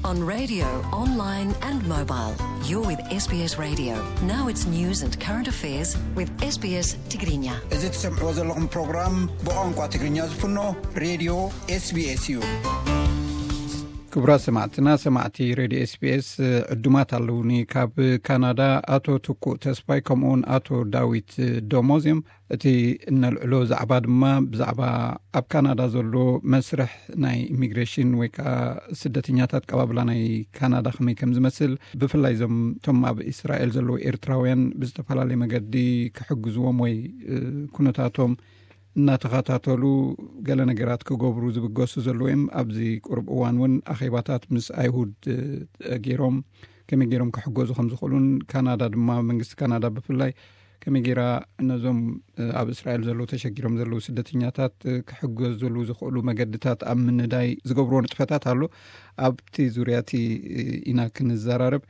On radio, online and mobile. You're with S B S Radio. Now it's news and current affairs with S B S Tigrinya. እዚ ትሰምዕዎ ዘለኹም ፕሮግራም ብቋንቋ ትግርኛ ዝፍኖ ሬድዮ ኤስቢኤስ እዩ። ክቡራት ሰማዕትና፣ ሰማዕቲ ሬድዮ ኤስቢኤስ ዕዱማት ኣለውኒ። ካብ ካናዳ ኣቶ ትኩእ ተስፋይ ከምኡውን ኣቶ ዳዊት ደሞዝ እዮም። እቲ እነልዕሎ ዛዕባ ድማ ብዛዕባ ኣብ ካናዳ ዘሎ መስርሕ ናይ ኢሚግሬሽን ወይ ከዓ ስደተኛታት ቀባብላ ናይ ካናዳ ከመይ ከም ዝመስል፣ ብፍላይ እዞም እቶም ኣብ እስራኤል ዘለዉ ኤርትራውያን ብዝተፈላለየ መገዲ ክሕግዝዎም ወይ ኩነታቶም እናተኸታተሉ ገለ ነገራት ክገብሩ ዝብገሱ ዘለዉ እዮም። ኣብዚ ቁርብ እዋን እውን ኣኼባታት ምስ ኣይሁድ ገይሮም ከመይ ገይሮም ክሕገዙ ከም ዝኽእሉን፣ ካናዳ ድማ መንግስቲ ካናዳ ብፍላይ ከመይ ገይራ ነዞም ኣብ እስራኤል ዘለዉ ተሸጊሮም ዘለዉ ስደተኛታት ክሕገዙሉ ዝኽእሉ መገድታት ኣብ ምንዳይ ዝገብርዎ ንጥፈታት ኣሎ። ኣብቲ ዙርያ እቲ ኢና ክንዘራረብ።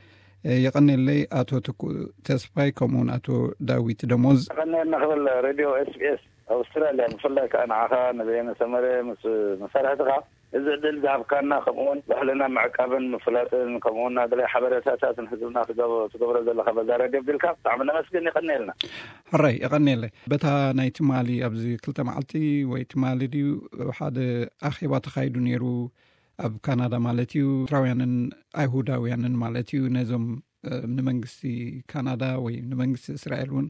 የቐኔለይ ኣቶ ትኩእ ተስፋይ ከምኡውን ኣቶ ዳዊት ደሞዝ። ቀኒልና ክብል ሬድዮ ኤስቢኤስ ኣውስትራልያ፣ ብፍላይ ከዓ ንዓኻ ንበየነ ሰመረ ምስ መሳርሕትኻ እዚ ዕድል ዝሃብካና፣ ከምኡውን ባህልና ምዕቃብን ምፍላጥን ከምኡውን ናገለ ሓበሬታታትን ህዝብና ክገብ-፣ ትገብሮ ዘለኻ በዛ ሬድዮ ቢልካ ብጣዕሚ ነመስግን። የቐኒልና። ሕራይ፣ የቐኒለይ። በታ ናይ ትማሊ ኣብዚ ክልተ መዓልቲ ወይ ትማሊ ድዩ ሓደ ኣኼባ ተኻይዱ ነይሩ ኣብ ካናዳ ማለት እዩ። ኤርትራውያንን ኣይሁዳውያንን ማለት እዩ። ነዞም ንመንግስቲ ካናዳ ወይ ንመንግስቲ እስራኤል እውን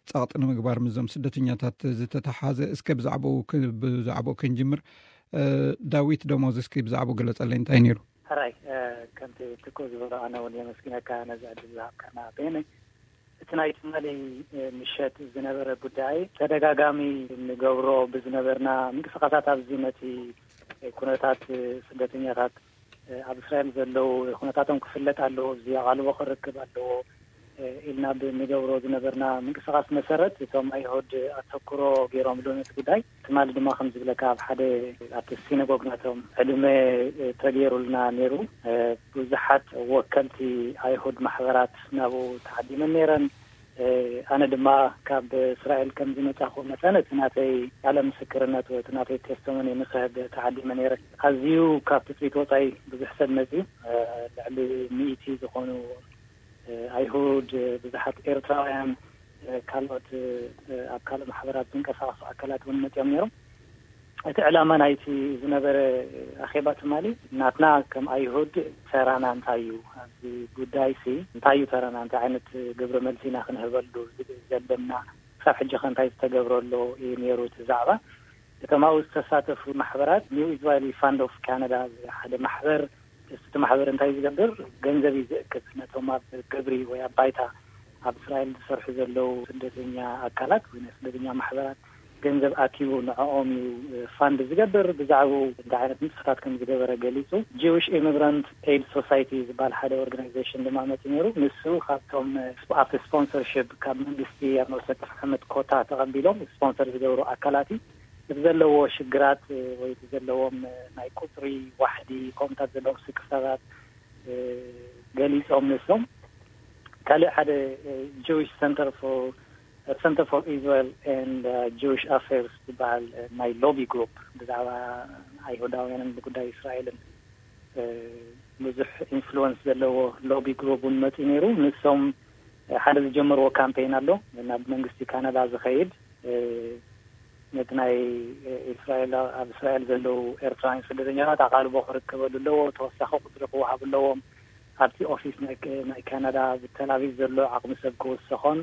ጸቕጢ ንምግባር ምስዞም ስደተኛታት ዝተተሓዘ፣ እስከ ብዛዕባኡ ክ-፣ ብዛዕባኡ ክንጅምር። ዳዊት ደሞዝ፣ እስኪ ብዛዕባኡ ግለጸለይ፣ እንታይ ነይሩ? ሕራይ፣ ከምቲ ትኩእ ዝበሎ፣ ኣነ እውን የመስግነካ ነዚ ዕድል ዝሃብካና። በየነ፣ እቲ ናይ ትማሊ ምሸት ዝነበረ ጉዳይ ተደጋጋሚ ንገብሮ ብዝነበርና ምንቅስቃሳት ኣብዚ ነቲ ኩነታት ስደተኛታት ኣብ እስራኤል ዘለዉ ኩነታቶም ክፍለጥ ኣለዎ፣ እዚ ኣቓልቦ ክረክብ ኣለዎ ኢልና ብንገብሮ ዝነበርና ምንቅስቃስ መሰረት እቶም ኣይሁድ ኣተኩሮ ገይሮምሉ ነቲ ጉዳይ። ትማሊ ድማ ከም ዝብለካ ኣብ ሓደ ኣብቲ ሲነጎግ ናቶም ዕድመ ተገይሩልና ነይሩ። ብዙሓት ወከልቲ ኣይሁድ ማሕበራት ናብኡ ተዓዲመን ነይረን። ኣነ ድማ ካብ እስራኤል ከም ዝመጻኹ መጠን እቲ ናተይ ቃለ ምስክርነት ወይ እቲ ናተይ ቴስቶሞኒ ንክህብ ተዓዲመ ነይረ። ኣዝዩ ካብ ትጽቢት ወጻኢ ብዙሕ ሰብ መጽዩ፣ ልዕሊ ሚእቲ ዝኾኑ ኣይሁድ፣ ብዙሓት ኤርትራውያን፣ ካልኦት ኣብ ካልእ ማሕበራት ዝንቀሳቐሱ ኣካላት እውን መጽዮም ነይሮም። እቲ ዕላማ ናይቲ ዝነበረ ኣኼባ ትማሊ ናትና ከም ኣይሁድ ተራና እንታይ እዩ ኣብዚ ጉዳይ ሲ፣ እንታይ እዩ ተራና፣ እንታይ ዓይነት ግብረ መልሲ ኢና ክንህበሉ ዝብል ዘለና፣ ክሳብ ሕጂ ከ እንታይ ዝተገብረ ኣሎ እዩ ነይሩ እቲ ዛዕባ። እቶም ኣብኡ ዝተሳተፉ ማሕበራት ኒው ኢዝራኤሊ ፋንድ ኦፍ ካናዳ ሓደ ማሕበር፣ እቲ ማሕበር እንታይ ዝገብር፣ ገንዘብ እዩ ዝእክብ ነቶም ኣብ ግብሪ ወይ ኣብ ባይታ ኣብ እስራኤል ዝሰርሑ ዘለዉ ስደተኛ ኣካላት ወይ ናይ ስደተኛ ማሕበራት ገንዘብ ኣኪቡ ንዕኦም እዩ ፋንድ ዝገብር። ብዛዕባኡ እንታይ ዓይነት ንጥፈታት ከም ዝገበረ ገሊጹ። ጂዊሽ ኢሚግራንት ኤድ ሶሳይቲ ዝበሃል ሓደ ኦርጋናይዜሽን ድማ መጺኡ ነይሩ። ንሱ ካብቶም ኣብቲ ስፖንሰርሽፕ ካብ መንግስቲ ኣብ ነፍሲ ወከፍ ዓመት ኮታ ተቐቢሎም ስፖንሰር ዝገብሩ ኣካላት እዩ። እቲ ዘለዎ ሽግራት ወይ እቲ ዘለዎም ናይ ቁጽሪ ዋሕዲ ከምኡታት ዘለዎም ስክፍታታት ገሊጾም ንሶም። ካልእ ሓደ ጂዊሽ ሰንተር ፎር ሰንተር ፎር ኢዝራኤል ኤንድ ጂዊሽ ኣፌርስ ዝበሃል ናይ ሎቢ ግሩፕ ብዛዕባ ኣይሁዳውያንን ብጉዳይ እስራኤልን ብዙሕ ኢንፍሉወንስ ዘለዎ ሎቢ ግሩፕ እውን መፂኡ ነይሩ። ንሶም ሓደ ዝጀመርዎ ካምፔን ኣሎ ናብ መንግስቲ ካናዳ ዝኸይድ፣ ነቲ ናይ እስራኤል ኣብ እስራኤል ዘለዉ ኤርትራውያን ስደተኛታት ኣቓልቦ ክርከበሉ ኣለዎ፣ ተወሳኺ ቁፅሪ ክወሃቡ ኣለዎም፣ ኣብቲ ኦፊስ ናይ ናይ ካናዳ ኣብ ተላቪቭ ዘሎ ዓቕሚ ሰብ ክውሰኾን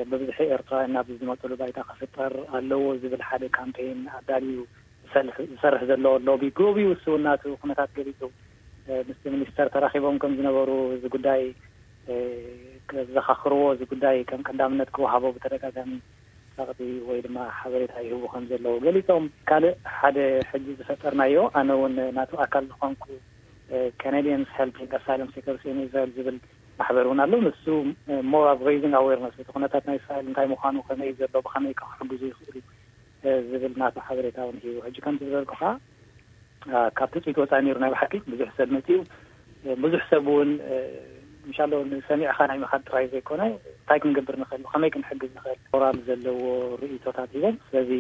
ብብዝሒ ኤርትራውያን ናብ ዝመፅሉ ባይታ ክፍጠር ኣለዎ ዝብል ሓደ ካምፔን ኣዳልዩ ዝሰርሕ ዘሎ ሎቢ ግሩፕ እዩ። እሱ እውን ናቱ ኩነታት ገሊፁ ምስቲ ሚኒስተር ተራኺቦም ከም ዝነበሩ እዚ ጉዳይ ከዘኻኽርዎ፣ እዚ ጉዳይ ከም ቀዳምነት ክወሃቦ ብተደጋጋሚ ጸቕጢ ወይ ድማ ሓበሬታ ይህቡ ከም ዘለዉ ገሊጾም። ካልእ ሓደ ሕጂ ዝፈጠርናዮ፣ ኣነ እውን ናቱ ኣካል ዝኾንኩ ካናዲያንስ ሄልፒንግ ኣሳይለም ሲከርስ ኢን እስራኤል ዝብል ማሕበር እውን ኣሎ። ንሱ ሞር ኣብ ሬይዚንግ ኣዌርነስ እቲ ኩነታት ናይ እስራኤል እንታይ ምዃኑ፣ ከመይ ዘሎ፣ ብኸመይ ክሕግዙ ይኽእሉ ዝብል ናቱ ሓበሬታ እውን ሂቡ። ሕጂ ከምቲ ዝበልኩኻ ካብ ትፅቢት ወፃኢ ነይሩ። ናይ ብሓቂ ብዙሕ ሰብ መፂኡ፣ ብዙሕ ሰብ እውን ምሻሎ ንሰሚዕኻ ናይ ምኻድ ጥራይ ዘይኮነ እንታይ ክንገብር ንኽእል፣ ብኸመይ ክንሕግዝ ንኽእል ሞራል ዘለዎ ርእይቶታት ሂቦም። ስለዚ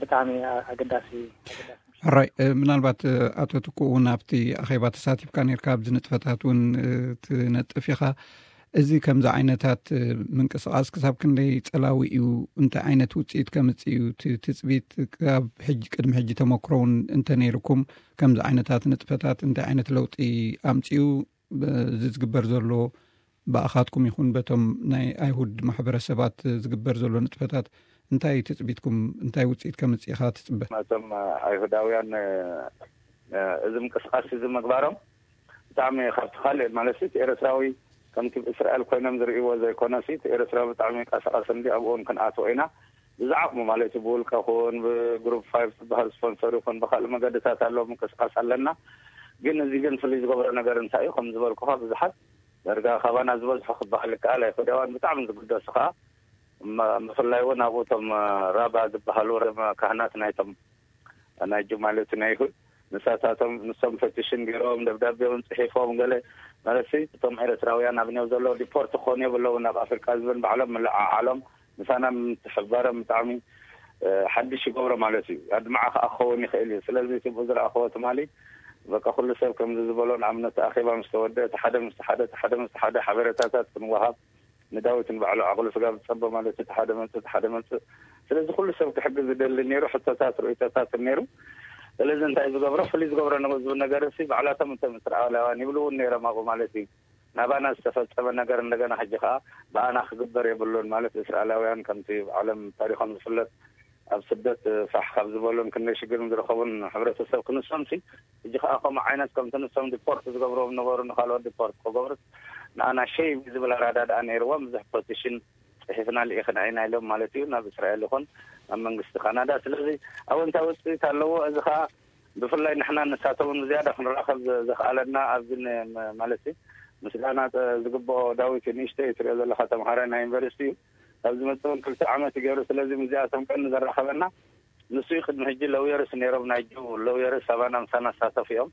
ብጣዕሚ ኣገዳሲ ኣገዳሲ ሕራይ፣ እ፣ ምናልባት፣ እ፣ ኣቶ ትኩ እውን ኣብቲ ኣኼባ ተሳቲፍካ ነርካ፣ ኣብዚ ንጥፈታት እውን፣ እ፣ ትነጥፍ ኢኻ። እዚ ከምዚ ዓይነታት፣ እ፣ ምንቅስቓስ ክሳብ ክንደይ ጸላዊ እዩ? እንታይ ዓይነት ውጽኢት ከምጽእ እዩ? እቲ ትጽቢት ካብ ሕጂ፣ ቅድሚ ሕጂ ተመክሮ እውን እንተ ነይርኩም፣ ከምዚ ዓይነታት ንጥፈታት እንታይ ዓይነት ለውጢ ኣምጺኡ? ብ-፣ እዚ ዝግበር ዘሎ ብኣኻትኩም ይኹን በቶም ናይ ኣይሁድ ማሕበረሰባት ዝግበር ዘሎ ንጥፈታት እንታይ ትጽቢትኩም? እንታይ ውጽኢት ከምጽእ ኢኻ ትጽበ? እቶም ኣይሁዳውያን፣ እ፣ እዚ ምንቅስቃስ እዚ ምግባሮም ብጣዕሚ ካብቲ ካልእ ማለት እቲ ኤርትራዊ ከምቲ ብእስራኤል ኮይኖም ዝርእይዎ ዘይኮነሲ፣ እቲ ኤርትራዊ ብጣዕሚ ቀሳቐስ እንዲ ኣብኡ እውን ክንኣትዎ ኢና። ብዝዓቕሙ ማለት እዩ፣ ብውልቀ ኹን ብግሩፕ ፋይቭ ዝበሃል ስፖንሰር ይኹን ብካልእ መገድታት ኣሎ ምንቅስቃስ ኣለና። ግን እዚ ግን ፍልይ ዝገብሮ ነገር እንታይ እዩ? ከም ዝበልኩኻ ብዙሓት ዳርጋ ካባና ዝበዝሑ ክበሃል ይከኣል ኣይሁዳውያን ብጣዕሚ ዝግደሱ ከዓ፣ ም-፣ ብፍላይ እውን ኣብኡ እቶም ራባ ዝበሃሉ ርም-፣ ካህናት ናይቶም ናይ ጁ ማለት ናይ ይሁድ ንሳታቶም ንሶም ፈቲሽን ገይሮም ደብዳቤውን ጽሒፎም ገለ ማለት እቶም ኤርትራውያን ኣብ ኔው ዘለዉ ዲፖርት ክኾኑ የብለውን ናብ ኣፍሪቃ ዝብል ባዕሎም ምልዓዓሎም ምሳና ምትሕባሮም ብጣዕሚ፣ እ፣ ሓድሽ ይገብሮ ማለት እዩ። ኣድማዓ ከዓ ክኸውን ይኽእል እዩ። ስለዚ እቲ ብኡ ዝረኣኽዎ ትማሊ በቃ ኩሉ ሰብ ከምዚ ዝበሎ ንኣብነት ኣኼባ ምስ ተወደ እቲ ሓደ ምስ ሓደ እቲ ሓደ ምስ ሓደ ሓበሬታታት ክንወሃብ ንዳዊት ንባዕሉ ዓቕሉ ስጋ ዝጸበ ማለት እቲ ሓደ መጽእ እቲ ሓደ መጽእ። ስለዚ ኩሉ ሰብ ክሕግዝ ዝደሊ ነይሩ፣ ሕቶታት ርእይቶታት ነይሩ። ስለዚ እንታይ ዝገብሮ ፍልይ ዝገብሮ ነ-፣ ዝብል ነገር እሲ ባዕላቶም እቶም እስራኤላውያን ይብሉ እውን ነይሮም ኣብኡ ማለት እዩ። ናባና ዝተፈጸመ ነገር እንደገና ሕጂ ከዓ ብኣና ክግበር የብሉን ማለት እስራኤላውያን ከምቲ ብዓለም ታሪኾም ዝፍለጥ ኣብ ስደት ፋሕ ካብ ዝበሉን ክንደይ ሽግርን ዝረኸቡን ሕብረተሰብ ክንሶምሲ ሕጂ ከዓ ከምኡ ዓይነት ከምቲ ንሶም ዲፖርት ዝገብርዎም ነበሩ ንካልኦት ዲፖርት ክገብሩስ ንኣና ሸይም ዝብል ኣራዳድኣ ነይርዎም ብዙሕ ፖዚሽን ጽሒፍና ልኢኽና ኢና ኢሎም ማለት እዩ ናብ እስራኤል ይኹን ናብ መንግስቲ ካናዳ። ስለዚ ኣወንታዊ ውፅኢት ኣለዎ። እዚ ከዓ ብፍላይ ንሕና ንሳቶምን ብዝያዳ ክንራኸብ ዘ-፣ ዘኽኣለና ኣብዚ ን-፣ ም-፣ ማለት እዩ ምስጋና ጸ-፣ ዝግብኦ ዳዊት ንእሽተይ ትሪኦ ዘለኻ ተምሃራይ ናይ ዩኒቨርሲቲ እዩ። ካብ ዝመጽእ እውን ክልተ ዓመት እዩ ገይሩ። ስለዚ ምስዚኣቶም ቀን ዘራኸበና ንሱ እዩ። ቅድሚ ሕጂ ለውየርስ ነይሮም፣ ናይ ጁ ለውየርስ ኣባና ምሳና ዝሳተፉ እዮም።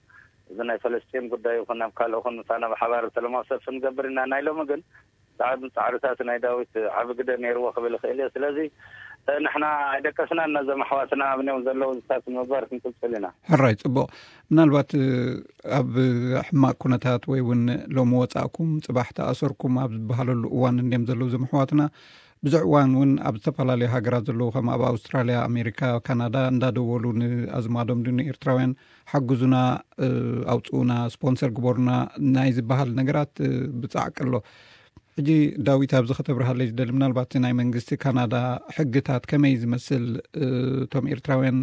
እዚ ናይ ፈለስጢን ጉዳይ ይኹን ኣብ ካልእ ይኹን ምሳና ብሓባር ሰላማዊ ሰልፊ ንገብር ኢና። ናይ ሎሚ ግን ጻዕሪ-፣ ጻዕርታት ናይ ዳዊት ዓቢ ግደ ነይርዎ ክብል ይኽእል እየ። ስለዚ ንሕና ኣይደቀስናን፣ ነዞም ኣሕዋትና ኣብ ኔው ዘለዉ ዝታት ንምግባር ክንቅጽል ኢና። ሕራይ፣ ጽቡቕ። ምናልባት፣ እ፣ ኣብ ሕማቕ ኩነታት ወይ እውን ሎሚ ወጻእኩም ጽባሕ ተኣሰርኩም ኣብ ዝበሃለሉ እዋን እንድዮም ዘለዉ እዞም ኣሕዋትና። ብዙሕ እዋን እውን ኣብ ዝተፈላለዩ ሃገራት ዘለዉ ከም ኣብ ኣውስትራልያ፣ ኣሜሪካ፣ ካናዳ እንዳደወሉ ንኣዝማዶም ድዩ ንኤርትራውያን ሓግዙና፣ እ፣ ኣውጽኡና፣ ስፖንሰር ግበሩና ናይ ዝበሃል ነገራት፣ እ፣ ብጻዕቂ ኣሎ። ሕጂ ዳዊት ኣብዚ ከተብርሃለይ ዝደሊ ምናልባት ናይ መንግስቲ ካናዳ ሕግታት ከመይ ዝመስል፣ እ፣ እቶም ኤርትራውያን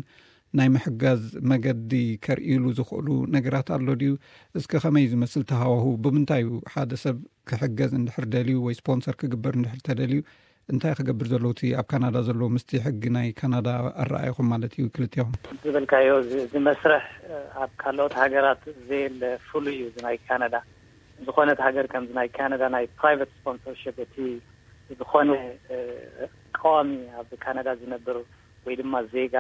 ናይ ምሕጋዝ መገዲ ከርእይሉ ዝኽእሉ ነገራት ኣሎ ድዩ? እስከ ከመይ ዝመስል ተሃዋሁ? ብምንታይ እዩ ሓደ ሰብ ክሕገዝ እንድሕር ደልዩ ወይ ስፖንሰር ክግበር እንድሕር ተደልዩ እንታይ ክገብር ዘለዎ እቲ ኣብ ካናዳ ዘለዎ ምስቲ ሕጊ ናይ ካናዳ ኣረኣእኹም ማለት እዩ ክልቴኹም? ዝበልካዮ እዚ፣ እዚ መስርሕ፣ እ፣ ኣብ ካልኦት ሃገራት ዘየለ ፍሉይ እዩ። እዚ ናይ ካናዳ ዝኾነት ሃገር ከምዚ ናይ ካናዳ ናይ ፕራይቨት ስፖንሰርሽፕ እቲ ዝኾነ፣ እ፣ ቀዋሚ ኣብ ካናዳ ዝነብር ወይ ድማ ዜጋ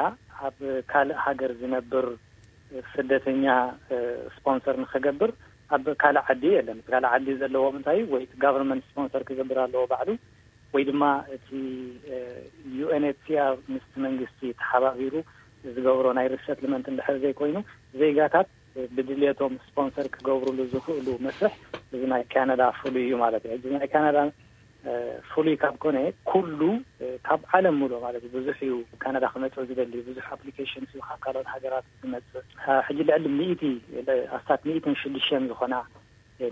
ኣብ ካልእ ሃገር ዝነብር ስደተኛ፣ እ፣ ስፖንሰር ንኸገብር ኣብ ካልእ ዓዲ የለን። ካልእ ዓዲ ዘለዎም እንታይ ወይ እቲ ጋቨርንመንት ስፖንሰር ክገብር ኣለዎ ባዕሉ ወይ ድማ እቲ፣ እ፣ ዩ ኤን ኤች ሲ ኣር ምስቲ መንግስቲ ተሓባቢሩ ዝገብሮ ናይ ሪሰትልመንት እንድሕር ዘይኮይኑ ዜጋታት ብድልየቶም ስፖንሰር ክገብሩሉ ዝኽእሉ መስርሕ እዚ ናይ ካናዳ ፍሉይ እዩ ማለት እዩ። እዚ ናይ ካናዳ፣ እ፣ ፍሉይ ካብ ኮነ ኩሉ፣ እ፣ ካብ ዓለም ሙሉእ ማለት እዩ ብዙሕ እዩ ካናዳ ክመጽእ ዝደሊ ብዙሕ ኣፕሊኬሽን እዩ ካብ ካልኦት ሃገራት ዝመጽእ። እ፣ ሕጂ ልዕሊ ሚእቲ፣ ኣስታት ሚእትን ሽዱሽተን ዝኾና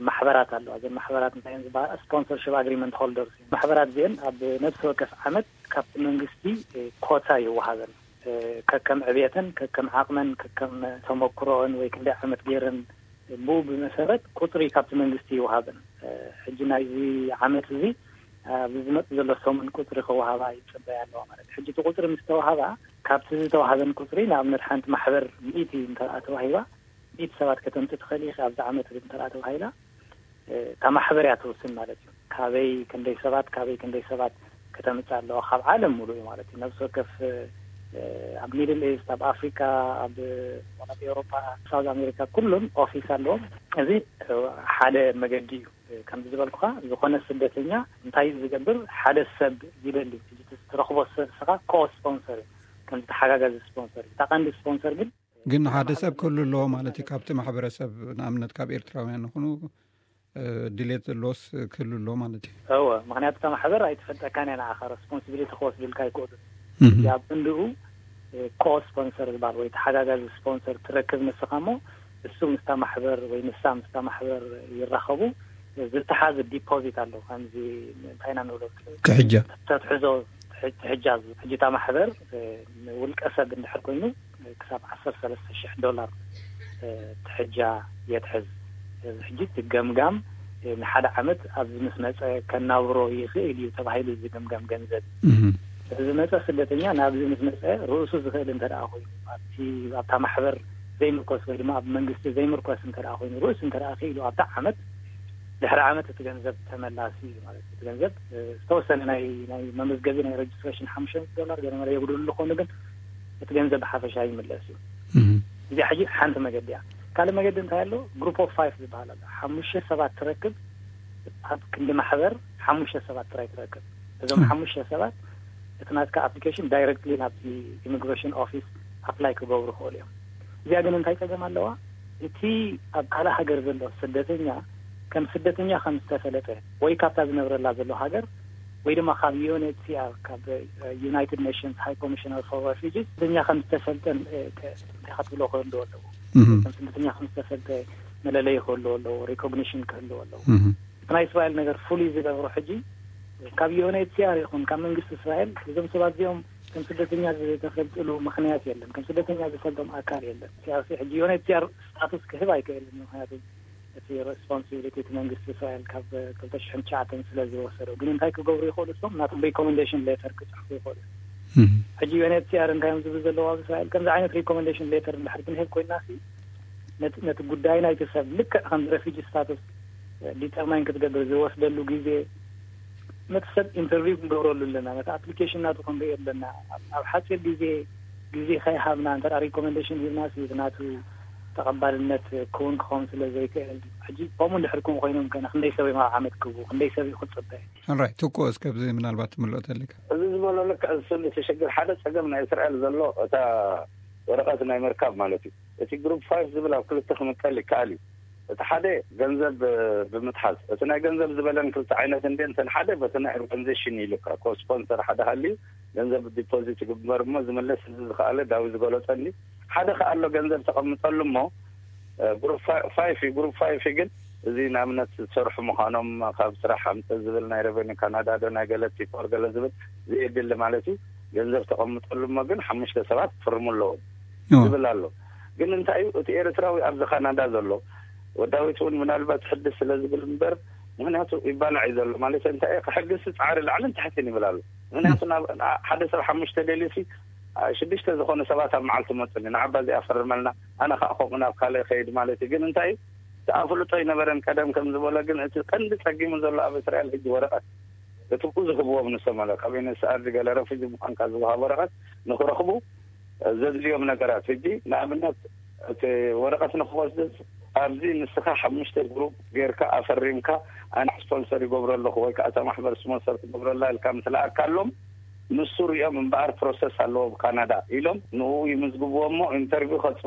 ማሕበራት ኣለዋ። እዘን ማሕበራት እንታይ እየን ዝበሃላ? ስፖንሰርሽፕ ኣግሪመንት ሆልደርስ እየን። ማሕበራት እዚአን ኣብ ነፍሲ ወከፍ ዓመት ካብቲ መንግስቲ፣ እ፣ ኮታ ይወሃበን። እ፣ ከከም ዕብየተን፣ ከከም ዓቕመን፣ ከከም ተመክሮኦን ወይ ክንደይ ዓመት ገይረን ብኡ ብመሰረት ቁፅሪ ካብቲ መንግስቲ ይወሃበን። እ፣ ሕጂ ናይዚ ዓመት እዚ ኣብዚ ዝመፅእ ዘሎ ሰሙን ቁፅሪ ክወሃባ ይፅበያ ኣለዋ ማለት እዩ። ሕጂ እቲ ቁፅሪ ምስ ተወሃባ ካብቲ ዝተዋሃበን ቁፅሪ ንኣብነት ሓንቲ ማሕበር ሚእቲ እንተ ተዋሂባ ሚእቲ ሰባት ከተምፅእ ትኽእል ኢኺ ኣብዚ ዓመት እዚ እንተ ተባሂላ፣ እ፣ እታ ማሕበር እያ ትውስን ማለት እዩ። ካበይ ክንደይ ሰባት፣ ካበይ ክንደይ ሰባት ከተምፅእ ኣለዋ፣ ካብ ዓለም ሙሉእ እዩ ማለት እዩ። ነብሲ ወከፍ፣ እ፣ ኣብ ሚድል ኢስት፣ ኣብ ኣፍሪካ፣ ኣብ፣ ኣብ ኤውሮፓ፣ ሳውዝ ኣሜሪካ ኩሉም ኦፊስ ኣለዎም። እዚ፣ እ፣ ሓደ መገዲ እዩ። እ፣ ከምዚ ዝበልኩኻ፣ ዝኾነ ስደተኛ እንታይ እዩ ዝገብር? ሓደ ሰብ ይደሊ። እዚ ትረኽቦ ሰብ ንስኻ ኮ ስፖንሰር እዩ፣ ከም ተሓጋጋዚ ስፖንሰር እዩ። እታ ቀንዲ ስፖንሰር ግን ግን ሓደ ሰብ ክህሉ ኣለዎ ማለት እዩ። ካብቲ ማሕበረሰብ፣ ንኣብነት ካብ ኤርትራውያን ይኹኑ፣ እ፣ ድሌት ዘለዎስ ክህሉ ኣለዎ ማለት እዩ። እወ፣ ምክንያቱ እታ ማሕበር ኣይትፈልጠካን እያ፣ ንዓኻ ሬስፖንሲቢሊቲ ክወስድልካ ኣይክእሉን። እህ። ኣብ ክንድኡ ኮ ስፖንሰር ዝበሃል ወይ ተሓጋጋዚ ስፖንሰር ትረክብ ንስኻ እሞ፣ እሱ ምስታ ማሕበር ወይ ንሳ ምስታ ማሕበር ይራኸቡ። ዝተሓዘ ዲፖዚት ኣሎ፣ ከምዚ እንታይ ኢና ንብሎ፣ ክሕጃ። ተትሕዞ ትሕ- ትሕጃ። ሕጂ እታ ማሕበር ውልቀ ሰብ እንድሕር ኮይኑ ክሳብ ዓሰርተ ሰለስተ ሽሕ ዶላር ትሕጃ የትሕዝ። እዚ ሕጂ እቲ ገምጋም ንሓደ ዓመት ኣብዚ ምስ መፀ ከናብሮ ይኽእል እዩ ተባሂሉ ዝግምገም ገንዘብ እዩ። እህ። እዚ ዝመፀ ስደተኛ ናብዚ ምስ መፀ ርእሱ ዝኽእል እንተ ደኣ ኮይኑ፣ ኣብቲ ኣብታ ማሕበር ዘይምርኮስ ወይ ድማ ኣብ መንግስቲ ዘይምርኮስ እንተ ደኣ ኮይኑ፣ ርእሱ እንተ ደኣ ክኢሉ ኣብታ ዓመት፣ ድሕሪ ዓመት እቲ ገንዘብ ተመላሲ እዩ ማለት እዩ። እቲ ገንዘብ እ፣ ዝተወሰነ ናይ ናይ መመዝገቢ ናይ ሬጅስትሬሽን ሓሙሽተ ሚእቲ ዶላር ገለ መለ የጉድሉ ዝኾኑ፣ ግን እቲ ገንዘብ ብሓፈሻ ይምለስ እዩ። እህ። እዚኣ ሕጂ ሓንቲ መገዲ እያ። ካልእ መገዲ እንታይ ኣሎ? ግሩፕ ኦፍ ፋይቭ ዝበሃል ኣሎ። ሓሙሽተ ሰባት ትረክብ፣ ኣብ ክንዲ ማሕበር ሓሙሽተ ሰባት ጥራይ ትረክብ። እዞም እ። ሓሙሽተ ሰባት እቲ ናትካ ኣፕሊኬሽን ዳይሬክትሊ ናብቲ ኢሚግሬሽን ኦፊስ ኣፕላይ ክገብሩ ይኽእሉ እዮም። እዚኣ ግን እንታይ ጸገም ኣለዋ? እቲ ኣብ ካልእ ሃገር ዘሎ ስደተኛ ከም ስደተኛ ከም ዝተፈለጠ ወይ ካብታ ዝነብረላ ዘሎ ሃገር ወይ ድማ ካብ ዩኤንኤችሲኣር፣ ካብ ዩናይትድ ኔሽንስ ሃይ ኮሚሽነር ፎር ሬፊጂስ፣ ስደተኛ ከም ዝተፈልጠን እ፣ ከ- እንታይ ክትብሎ ክህልዎ ኣለዎ። እህ። ከም ስደተኛ ከም ዝተፈልጠ መለለይ ክህልዎ ኣለዎ፣ ሪኮግኒሽን ክህልዎ ኣለዎ። እህ። እቲ ናይ እስራኤል ነገር ፍሉይ ዝገብሮ ሕጂ ካብ ዩኤንኤችሲኣር ይኹን ካብ መንግስቲ እስራኤል እዞም ሰባት እዚኦም ከም ስደተኛ ዝተፈልጥሉ ምኽንያት የለን። ከም ስደተኛ ዝፈልጦም ኣካል የለን። ሲኣርሲ ሕጂ ዩኤንኤችሲኣር ስታቱስ ክህብ ኣይክእልን። ምኽንያቱ እቲ ሬስፖንሲቢሊቲ እቲ መንግስቲ እስራኤል ካብ ክልተ ሽሕን ትሽዓተን ስለ ዝወሰዶ። ግን እንታይ ክገብሩ ይኽእሉ? እሶም ናቶም ሪኮመንዴሽን ሌተር ክፅሕፉ ይኽእሉ። እህ። ሕጂ ዩኤንኤችሲኣር እንታይ እዮም ዝብሉ ዘለዉ ኣብ እስራኤል? ከምዚ ዓይነት ሪኮመንዴሽን ሌተር እንድሕር ክንህብ ኮይና ሲ ነቲ ነቲ ጉዳይ ናይቲ ሰብ ልክዕ ከም ሬፊጂ ስታቱስ ዲተርማይን ክትገብር ዝወስደሉ ግዜ ነቲ ሰብ ኢንተርቪው ክንገብረሉ ኣለና። ነቲ ኣፕሊኬሽን ናቱ ክንርኢ ኣለና። ኣብ- ኣብ ሓፂር ግዜ ግዜ ከይሃብና እንተ ሪኮመንዴሽን ሂብና ሲ ናቱ ተቐባልነት ክውን ክኸውን ስለ ዘይክእል፣ ሕጂ ከምኡ እንድሕር ክውን ኮይኖም ከነ ክንደይ ሰብ እዮም ኣብ ዓመት ክቡ ክንደይ ሰብ እዩ ክፅበ? ኦራይት፣ ትኩ እስከ ብዚ ምናልባት ትምልኦ ተሊካ። እዚ ዝበሎ ልክዕ ዝስሉ ትሽግር ሓደ ጸገም ናይ እስራኤል ዘሎ እታ ወረቐት ናይ ምርካብ ማለት እዩ። እቲ ግሩፕ ፋይቭ ዝብል ኣብ ክልተ ክምቀል ይከኣል እዩ። እቲ ሓደ ገንዘብ እ፣ ብምትሓዝ፣ እቲ ናይ ገንዘብ ዝበለን ክልተ ዓይነት እንደ እንተን ሓደ በቲ ናይ ኦርጋኒዜሽን ይልካ ኮ ስፖንሰር ሓደ ሃልዩ ገንዘብ ዲፖዚት ይግበር እሞ ዝምለስ እዚ ዝኸኣለ ዳዊ ዝገለጸኒ ሓደ ከኣ ኣሎ ገንዘብ ተቐምጠሉ እሞ እ፣ ግሩፕ ፋ- ፋይፍ እዩ። ግሩፕ ፋይፍ ግን እዚ ንኣብነት ዝሰርሑ ምዃኖም ካብ ስራሕ ኣምፅእ ዝብል ናይ ሬቨኒ ካናዳ ዶ ናይ ገለ ቲፎር ገለ ዝብል ዝየድሊ ማለት እዩ። ገንዘብ ተቐምጠሉ እሞ ግን ሓሙሽተ ሰባት ክፍርሙ ኣለዎም ኦ፣ ዝብል ኣሎ። ግን እንታይ እዩ እቲ ኤርትራዊ ኣብዚ ካናዳ ዘሎ ወዳዊት እውን ምናልባት ሕድስ ስለ ዝብል እምበር ምክንያቱ ይባላዕ እዩ ዘሎ ማለት እንታይ እዩ፣ ከሕግስ ፃዕሪ ላዕልን ታሕትን ይብል ኣሎ። ምክንያቱ ናብ ሓደ ሰብ ሓሙሽተ ደልዩሲ ሽዱሽተ ዝኾኑ ሰባት ኣብ መዓልቲ መፁኒ ንዓባ እዚኣ ፈርመልና ኣነ ከዓ ከምኡ ናብ ካልእ ከይድ ማለት እዩ። ግን እንታይ እቲ ኣፍልጦ ኣይነበረን ቀደም ከም ዝበሎ ግን እቲ ቀንዲ ፀጊሙ ዘሎ ኣብ እስራኤል ሕጂ ወረቐት እቲ ብዙ ህብዎም ንሶም ኣለ ካብ ዩኤንኤችሲኣር ገለ ረፊጂ ምዃንካ ዝወሃብ ወረቐት ንክረኽቡ ዘድልዮም ነገራት ሕጂ ንኣብነት እቲ ወረቐት ንክወስድ ኣብዚ ንስኻ ሓሙሽተ ግሩፕ ጌርካ ኣፈሪምካ ኣነ ስፖንሰር ይገብሮ ኣለኹ ወይ ከዓ እታ ማሕበር ስፖንሰር ትገብረላ ኢልካ ምስ ለኣካሎም ንሱ ሪኦም እምበኣር ፕሮሰስ ኣለዎ ብካናዳ ኢሎም ንኡ ይምዝግብዎ እሞ ኢንተርቪው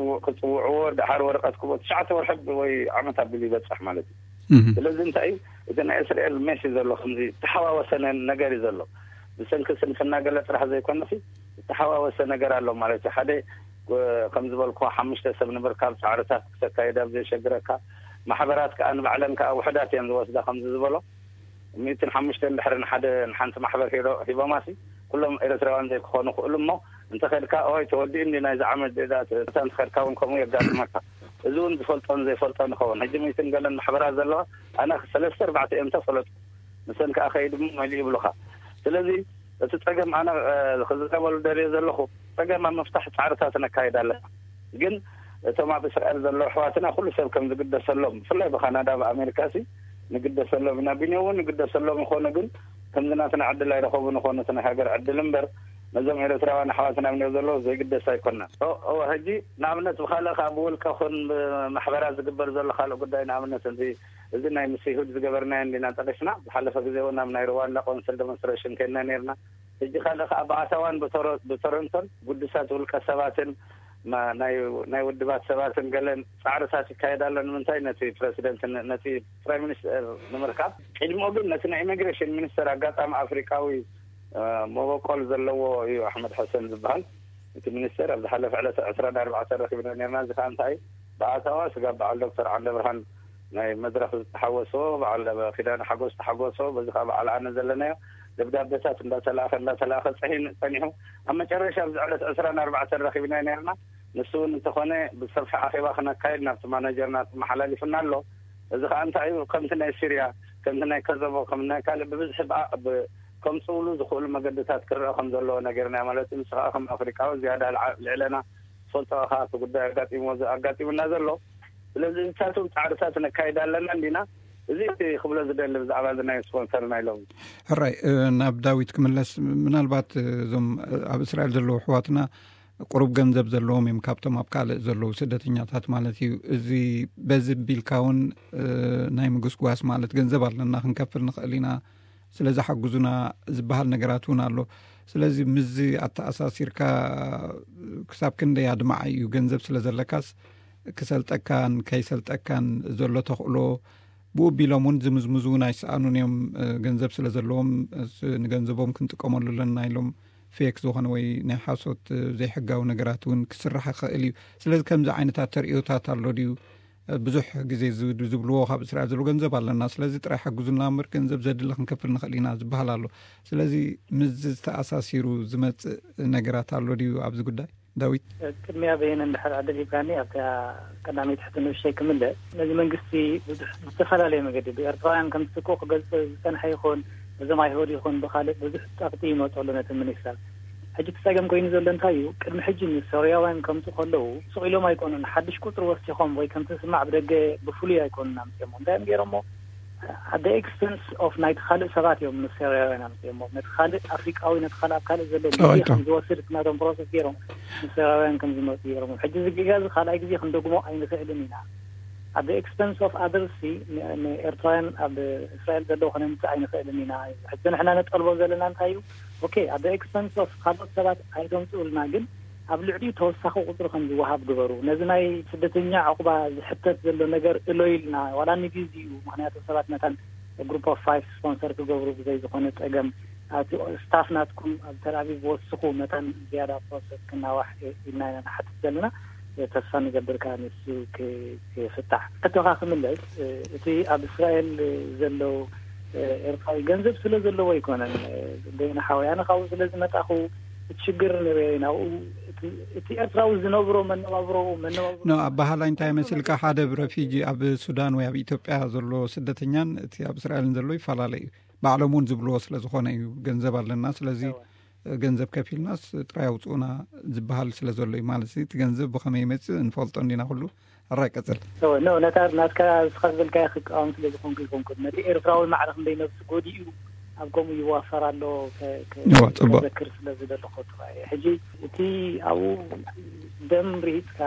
ክፅውዕዎ ደሓር ወረቐት ክቦ ትሽዓተ ወርሒ ወይ ዓመት ኣቢሉ ይበፅሕ ማለት እዩ። ስለዚ እንታይ እዩ እቲ ናይ እስራኤል ሜስ እዩ ዘሎ ከምዚ ዝተሓዋወሰ ነገር እዩ ዘሎ። ብሰንኪ ስንፍና ገለ ጥራሕ ዘይኮነሲ ዝተሓዋወሰ ነገር ኣሎ ማለት እዩ። ሓደ ከም ዝበልኩ ሓሙሽተ ሰብ ንምርካብ ፃዕርታት ክተካየድ ኣብ ዘየሸግረካ ማሕበራት ከዓ ንባዕለን ከዓ ውሕዳት እየን ዝወስዳ ከምዚ ዝበሎ ሚእትን ሓሙሽተ እንድሕር ንሓደ ንሓንቲ ማሕበር ሂሮ ሂቦማሲ ኩሎም ኤርትራውያን ዘይክኾኑ ክእሉ እሞ እንተኸድካ ኦይ ተወዲኡ እንዲ ናይዚ ዓመት ዴዳ እታ እንተኸድካ እውን ከምኡ የጋጥመካ። እዚ እውን ዝፈልጦን ዘይፈልጦን ይኸውን። ሕጂ ሚእትን ገለን ማሕበራት ዘለዋ ኣነ ሰለስተ ኣርባዕተ እዮም ተፈለጡ ንሰን ከዓ ከይድ እሞ መሊኡ ይብሉኻ። ስለዚ እቲ ፀገም ኣነ ክዝረበሉ ደልየ ዘለኹ ፀገም ኣብ ምፍታሕ ፃዕርታት ነካይድ ኣለና። ግን እቶም ኣብ እስራኤል ዘለዉ ኣሕዋትና ኩሉ ሰብ ከም ዝግደሰሎም ብፍላይ ብካናዳ ብኣሜሪካ ሲ ንግደሰሎም ኢና። ቢንዮ እውን ንግደሰሎም ይኾኑ ግን ከምዚ ናትና ዕድል ኣይረኸቡን ይኾኑ እቲ ናይ ሃገር ዕድል እምበር ነዞም ኤርትራውያን ኣሕዋትና ቢንዮ ዘለዉ ዘይግደስ ኣይኮናን። እወ ሕጂ ንኣብነት ብካልእ ከዓ ብውልቀ ኹን ብማሕበራት ዝግበር ዘሎ ካልእ ጉዳይ ንኣብነት እዚ እዚ ናይ ምስ ይሁድ ዝገበርናዮ እንዲና ጠቂስና ዝሓለፈ ግዜ እውን ኣብ ናይ ሩዋንዳ ቆንስል ደሞንስትሬሽን ከይድና ነርና። ሕጂ ካልእ ከዓ ብኣታዋን ብቶሮንቶን ጉዱሳት ውልቀ ሰባትን ናይ ውድባት ሰባትን ገለን ፃዕርታት ይካየድ ኣሎ። ንምንታይ? ነቲ ፕረሲደንት፣ ነቲ ፕራይም ሚኒስተር ንምርካብ። ቅድሚኡ ግን ነቲ ናይ ኢሚግሬሽን ሚኒስተር፣ ኣጋጣሚ ኣፍሪቃዊ መበቆል ዘለዎ እዩ፣ ኣሕመድ ሐሰን ዝበሃል እቲ ሚኒስተር። ኣብ ዝሓለፈ ዕለት ዕስራን ኣርባዕተን ረኪብና ነርና። እዚ ከዓ እንታይ? ብኣታዋ ስጋብ በዓል ዶክተር ዓንደ ብርሃን ናይ መድረኽ ዝተሓወሶ፣ በዓል ኪዳነ ሓጎስ ዝተሓጎሶ፣ በዚ ከዓ በዓል ኣነ ዘለናዮ ደብዳቤታት እንዳተላእኸ እንዳተላእኸ ፀኒሑ። ኣብ መጨረሻ ኣብዚ ዕለት ዕስራን ኣርባዕተን ረኪብና ነርና። ንሱ እውን እንተኾነ ብሰፊሕ ኣኼባ ክነካየድ ናብቲ ማናጀርና ተመሓላሊፉና ኣሎ። እዚ ከዓ እንታይ እዩ? ከምቲ ናይ ሲርያ፣ ከምቲ ናይ ከዘቦ፣ ከም ናይ ካልእ ብብዝሒ ከምፅእሉ ዝኽእሉ መገድታት ክረአ ከም ዘለዎ ነገርና ማለት እዩ። ንስኻ ከም ኣፍሪቃዊ ዝያዳ ልዕለና ትፈልጦ ኢኻ እቲ ጉዳይ ኣጋጢሙና ዘሎ። ስለዚ እዚታቶም ፃዕርታት ነካይድ ኣለና እንዲና። እዚ እቲ ክብሎ ዝደሊ ብዛዕባ እዚ ናይ ስፖንሰር ናይ ሎም። ሕራይ፣ ናብ ዳዊት ክምለስ። ምናልባት እዞም ኣብ እስራኤል ዘለዉ ኣሕዋትና ቁሩብ ገንዘብ ዘለዎም እዮም፣ ካብቶም ኣብ ካልእ ዘለዉ ስደተኛታት ማለት እዩ። እዚ በዚ ቢልካ እውን ናይ ምግስጓስ ማለት ገንዘብ ኣለና ክንከፍል ንኽእል ኢና ስለዚ ሓግዙና ዝበሃል ነገራት እውን ኣሎ። ስለዚ ምስዚ ኣተኣሳሲርካ ክሳብ ክንደይ ኣድማዓይ እዩ? ገንዘብ ስለ ዘለካስ ክሰልጠካን ከይሰልጠካን ዘሎ ተኽእሎ ብኡ ቢሎም እውን ዝምዝምዙ እውን ኣይሰኣኑን እዮም። ገንዘብ ስለ ዘለዎም ንገንዘቦም ክንጥቀመሉ ኣለና ኢሎም ፌክ ዝኾነ ወይ ናይ ሓሶት ዘይሕጋዊ ነገራት እውን ክስራሕ ይኽእል እዩ። ስለዚ ከምዚ ዓይነታት ተርእዮታት ኣሎ ድዩ? ብዙሕ ግዜ ዝብልዎ ካብ እስራኤል ዘሎ ገንዘብ ኣለና፣ ስለዚ ጥራይ ሓግዙና እምበር ገንዘብ ዘድሊ ክንከፍል ንኽእል ኢና ዝበሃል ኣሎ። ስለዚ ምስ ዝተኣሳሲሩ ዝመፅእ ነገራት ኣሎ ድዩ ኣብዚ ጉዳይ? ዳዊት። ቅድሚያ በየነ እንድሕር ዕድል ሂብካኒ ኣብታ ቀዳመይቲ ሕቶ ንእሽተይ ክምለስ። ነዚ መንግስቲ ብዙሕ ብዝተፈላለየ መገዲ ብኤርትራውያን ከም ዝትክኡ ክገልፅ ዝፀንሐ ይኹን እዞም ኣይሁድ ይኹን ብካልእ ብዙሕ ፀቕጢ ይመፀሉ ነቲ ሚኒስተር። ሕጂ እቲ ፀገም ኮይኑ ዘሎ እንታይ እዩ? ቅድሚ ሕጂ ንሶርያውያን ከምፁ ከለዉ ስቕ ኢሎም ኣይኮኑን። ሓድሽ ቁፅሪ ወሲኾም ወይ ከምቲ ዝስማዕ ብደገ ብፍሉይ ኣይኮኑን ኣምፅኦሞ። እንታይ እዮም ገይሮሞ? At the expense of ናይቲ ካልእ ሰባት እዮም ንሶርያውያን ኣምፅኦሞ። ነቲ ካልእ ኣፍሪቃዊ፣ ነቲ ካልእ ኣብ ካልእ ዘሎ ሚድያ ከም ዝወስድ እቲ ናቶም ፕሮሰስ ገይሮም ንሶርያውያን ከም ዝመፁ ገይሮም። ሕጂ እዚ ጌጋ እዚ ካልኣይ ግዜ ክንደግሞ ኣይንኽእልን ኢና። At the expense of others ንኤርትራውያን ኣብ እስራኤል ዘለዉ ከነምፅእ ኣይንኽእልን ኢና። ሕጂ ንሕና ነጠልቦ ዘለና እንታይ እዩ? Okay, at the expense of ካልኦት ሰባት ኣይተምፅኡልና፣ ግን ኣብ ልዕሊኡ ተወሳኺ ቁፅሪ ከም ዝወሃብ ግበሩ። ነዚ ናይ ስደተኛ ዕቑባ ዝሕተት ዘሎ ነገር እሎ ኢልና ዋላ ንግዜኡ፣ ምክንያቱ ሰባት መታን group of five ስፖንሰር ክገብሩ ብዘይ ዝኾነ ፀገም ኣቲ ስታፍ ናትኩም ኣብ ተልኣቪቭ ወስኹ መታን ዝያዳ ፕሮሰስ ክናዋሕ ኢልና ኢና ንሓትት ዘለና። ተስፋ ንገብር ከዓ ንሱ ክፍታሕ። ሕቶኻ ክምለስ፣ እቲ ኣብ እስራኤል ዘሎ ኤርትራዊ ገንዘብ ስለ ዘለዎ ኣይኮነን። በይነ ሓወይ ኣነ ካብኡ ስለ ዝመጣኹ እቲ ሽግር ንሪኦ ኢና። እቲ ኤርትራዊ ዝነብሮ መነባብሮ መነባብሮ ኖ ኣባሃላይ እንታይ መስልካ? ሓደ ብረፊጂ ኣብ ሱዳን ወይ ኣብ ኢትዮጵያ ዘሎ ስደተኛን እቲ ኣብ እስራኤልን ዘሎ ይፈላለ እዩ። ባዕሎም እውን ዝብልዎ ስለ ዝኾነ እዩ። ገንዘብ ኣለና፣ ስለዚ ገንዘብ ከፊልናስ ጥራይ ኣውፅኡና ዝበሃል ስለ ዘሎ እዩ። ማለት እቲ ገንዘብ ብኸመይ ይመፅእ እንፈልጦ እንዲና ኩሉ። ሕራይ ቀፅል። ኖ ነታ ናትካ እስኻ ዝበልካዮ ክቃወም ስለ ዝኾንኩ ይኮንኩ። ነቲ ኤርትራዊ ማዕረ ክንደይ ነብሲ ጎዲኡ ኣብ ከምኡ ይዋፈር ኣሎ። እዋ፣ ፅቡቅ። ዘክር ስለ ዝደለኹ ጥራይ ሕጂ እቲ ኣብኡ ደም ርሂፅካ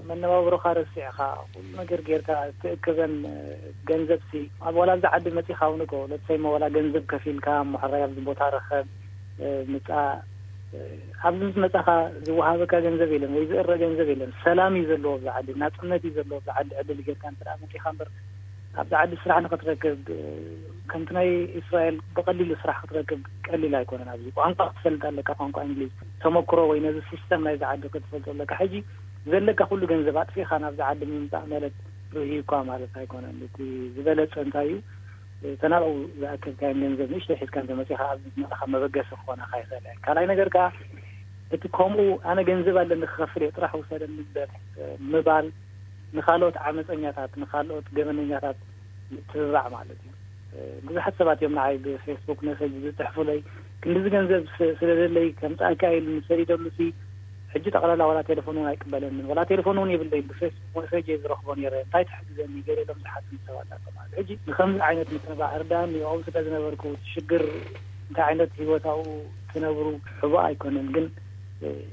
መነባብሮኻ ረሲዕካ ኩሉ ነገር ጌርካ ትእክበን ገንዘብ ሲ ኣብ ዋላ ኣብዚ ዓዲ መፂኻ እውን እኮ ለትሰይመ ዋላ ገንዘብ ከፊልካ እሞ ሕራይ ኣብዚ ቦታ ረኸብ ምፃእ ኣብዚ ምስ መፃኻ ዝወሃበካ ገንዘብ የለን ወይ ዝእረ ገንዘብ የለን። ሰላም እዩ ዘለዎ ኣብዚ ዓዲ፣ ናፅነት እዩ ዘለዎ ኣብዚ ዓዲ። ዕድል ጌርካ እንተ መፂኻ እምበር ኣብዚ ዓዲ ስራሕ ንክትረክብ ከምቲ ናይ እስራኤል ብቀሊሉ ስራሕ ክትረክብ ቀሊል ኣይኮነን። ኣብዚ ቋንቋ ክትፈልጥ ኣለካ፣ ቋንቋ እንግሊዝ ተመክሮ ወይ ነዚ ሲስተም ናይዚ ዓዲ ክትፈልጦ ኣለካ። ሕጂ ዘለካ ኩሉ ገንዘብ ኣጥፊእካ ናብዚ ዓዲ ምምፃእ ማለት ርህዩ እኳ ማለት ኣይኮነን። እቲ ዝበለፀ እንታይ እዩ? ተናብኡ ዝኣከብካዮም ገንዘብ ንእሽተይ ሒዝካ እንተመፂኻ ኣብዚ ዝመፅኻ መበገሲ ክኾነካ ይኽእል። ካልኣይ ነገር ከዓ እቲ ከምኡ ኣነ ገንዘብ ኣለኒ ክኸፍል እየ ጥራሕ ውሰደኒ እምበር ምባል ንኻልኦት ዓመፀኛታት ንኻልኦት ገበነኛታት ምትብባዕ ማለት እዩ። ብዙሓት ሰባት እዮም ንዓይ ብፌስቡክ መሰጅ ዝፅሕፉለይ ክንዲዚ ገንዘብ ስለዘለይ ከምፃእካ ኢሉ ንሰዲደሉ ሲ ሕጂ ጠቕላላ ዋላ ቴሌፎን እውን ኣይቅበለንን ዋላ ቴሌፎን እውን የብለይ ብፌስቡክ መሰጅ እየ ዝረኽቦ ነይረ እንታይ ትሕግዘኒ ገለ ኢሎም ዝሓትኒ ሰባት ኣለዉ ማለት ሕጂ ንከምዚ ዓይነት ምትብባዕ እርዳኒ ኣብኡ ስለ ዝነበርኩ ሽግር እንታይ ዓይነት ህይወት ኣብኡ ትነብሩ ሕቡእ ኣይኮነን ግን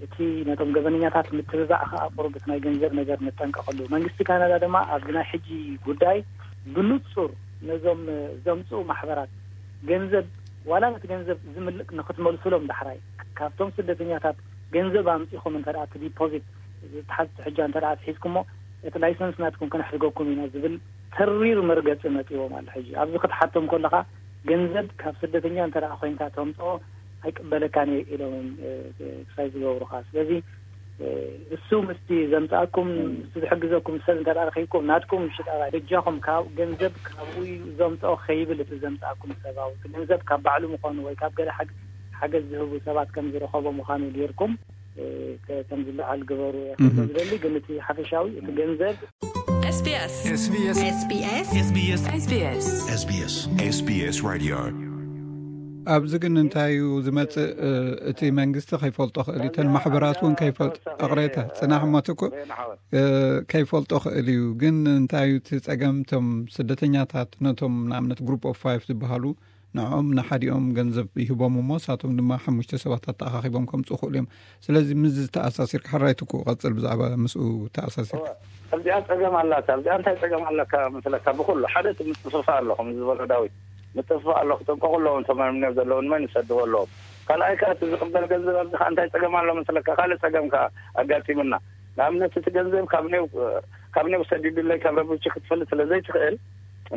እቲ ነቶም ገበነኛታት ምትብባዕ ከዓ ቁሩብ እቲ ናይ ገንዘብ ነገር ንጠንቀቐሉ መንግስቲ ካናዳ ድማ ኣብዚ ናይ ሕጂ ጉዳይ ብንፁር ነዞም ዘምፅኡ ማሕበራት ገንዘብ ዋላ ነቲ ገንዘብ ዝምልእ ንክትመልሱሎም ዳሕራይ ካብቶም ስደተኛታት ገንዘብ ኣምፂኹም እንተ ዲፖዚት ዝተሓዝ ሕጃ እንተ ደኣ ኣትሒዝኩሞ፣ እቲ ላይሰንስ ናትኩም ከነሕድገኩም ኢና ዝብል ተሪር መርገጺ መጺዎም ኣሎ። ሕጂ ኣብዚ ክትሓቶም ከለኻ፣ ገንዘብ ካብ ስደተኛ እንተ ደኣ ኮይንካ ተምጽኦ ኣይቅበለካን እየ ኢሎም እዮም፣ እ፣ ክሳይ ዝገብሩኻ። ስለዚ፣ እ፣ እሱ ምስቲ ዘምጽኣኩም፣ ምስቲ ዝሕግዘኩም ሰብ እንተ ደኣ ረኺብኩም፣ ናትኩም ሽጣራ በጃኹም ካብ ገንዘብ ካብኡ እዩ ዘምጽኦ ከይብል፣ እቲ ዘምጽኣኩም ሰብኣዊ፣ እቲ ገንዘብ ካብ ባዕሉ ምዃኑ ወይ ካብ ገለ ሓግ-፣ ሓገዝ ዝህቡ ሰባት ከም ዝረኸቦ ምዃኑ ጌርኩም፣ እ፣ ከ-፣ ከም ዝለዓል ግበሩ እየ ክብል ዝደሊ። ግን እቲ ሓፈሻዊ፣ እቲ ገንዘብ SBS SBS SBS SBS SBS SBS SBS Radio። ኣብዚ ግን እንታይ እዩ ዝመጽእ? እ፣ እቲ መንግስቲ ከይፈልጦ ክእል እዩ። እተን ማሕበራት እውን ከይፈልጦ፣ እቕሬታ፣ ጽናሕ እሞ ትኩ-፣ እ፣ ከይፈልጦ ክእል እዩ። ግን እንታይ እዩ እቲ ጸገም? እቶም ስደተኛታት ነቶም ንኣብነት ግሩፕ ኦፍ ፋይቭ ዝበሃሉ ንዕኦም ንሓዲኦም ገንዘብ ይህቦም እሞ፣ ንሳቶም ድማ ሓሙሽተ ሰባት ኣተኣኻኺቦም ከምጽኡ ክእሉ እዮም። ስለዚ ምስ ዝተኣሳሲርካ፣ ሕራይ ትኩ፣ ቀጽል ብዛዕባ ምስኡ ተኣሳሲርካ። እወ፣ ኣብዚኣ ጸገም ኣላታ። ኣብዚኣ እንታይ ጸገም ኣለካ መስለካ? ብኹሉ ሓደ እቲ ምጥፍፋእ ኣሎ፣ ከም ዝበሎ ዳዊት፣ ምጥፍፋእ ኣሎ። ክጥንቀቑ ኣለዎም። እቶም ኣብ እምነት ዘለዉ ንመን ይሰድዎ ኣለዎም? ካልኣይ ከኣ እቲ ዝቕበል ገንዘብ ኣብዚ ከኣ እንታይ ጸገም ኣሎ መስለካ? ካልእ ጸገም ከኣ ኣጋጢሙና። ንኣብነት እቲ ገንዘብ ካብ ኔው-፣ ካብ ኔው ሰዲዱለይ ካብ ረብቺ ክትፈልጥ ስለ ዘይትኽእል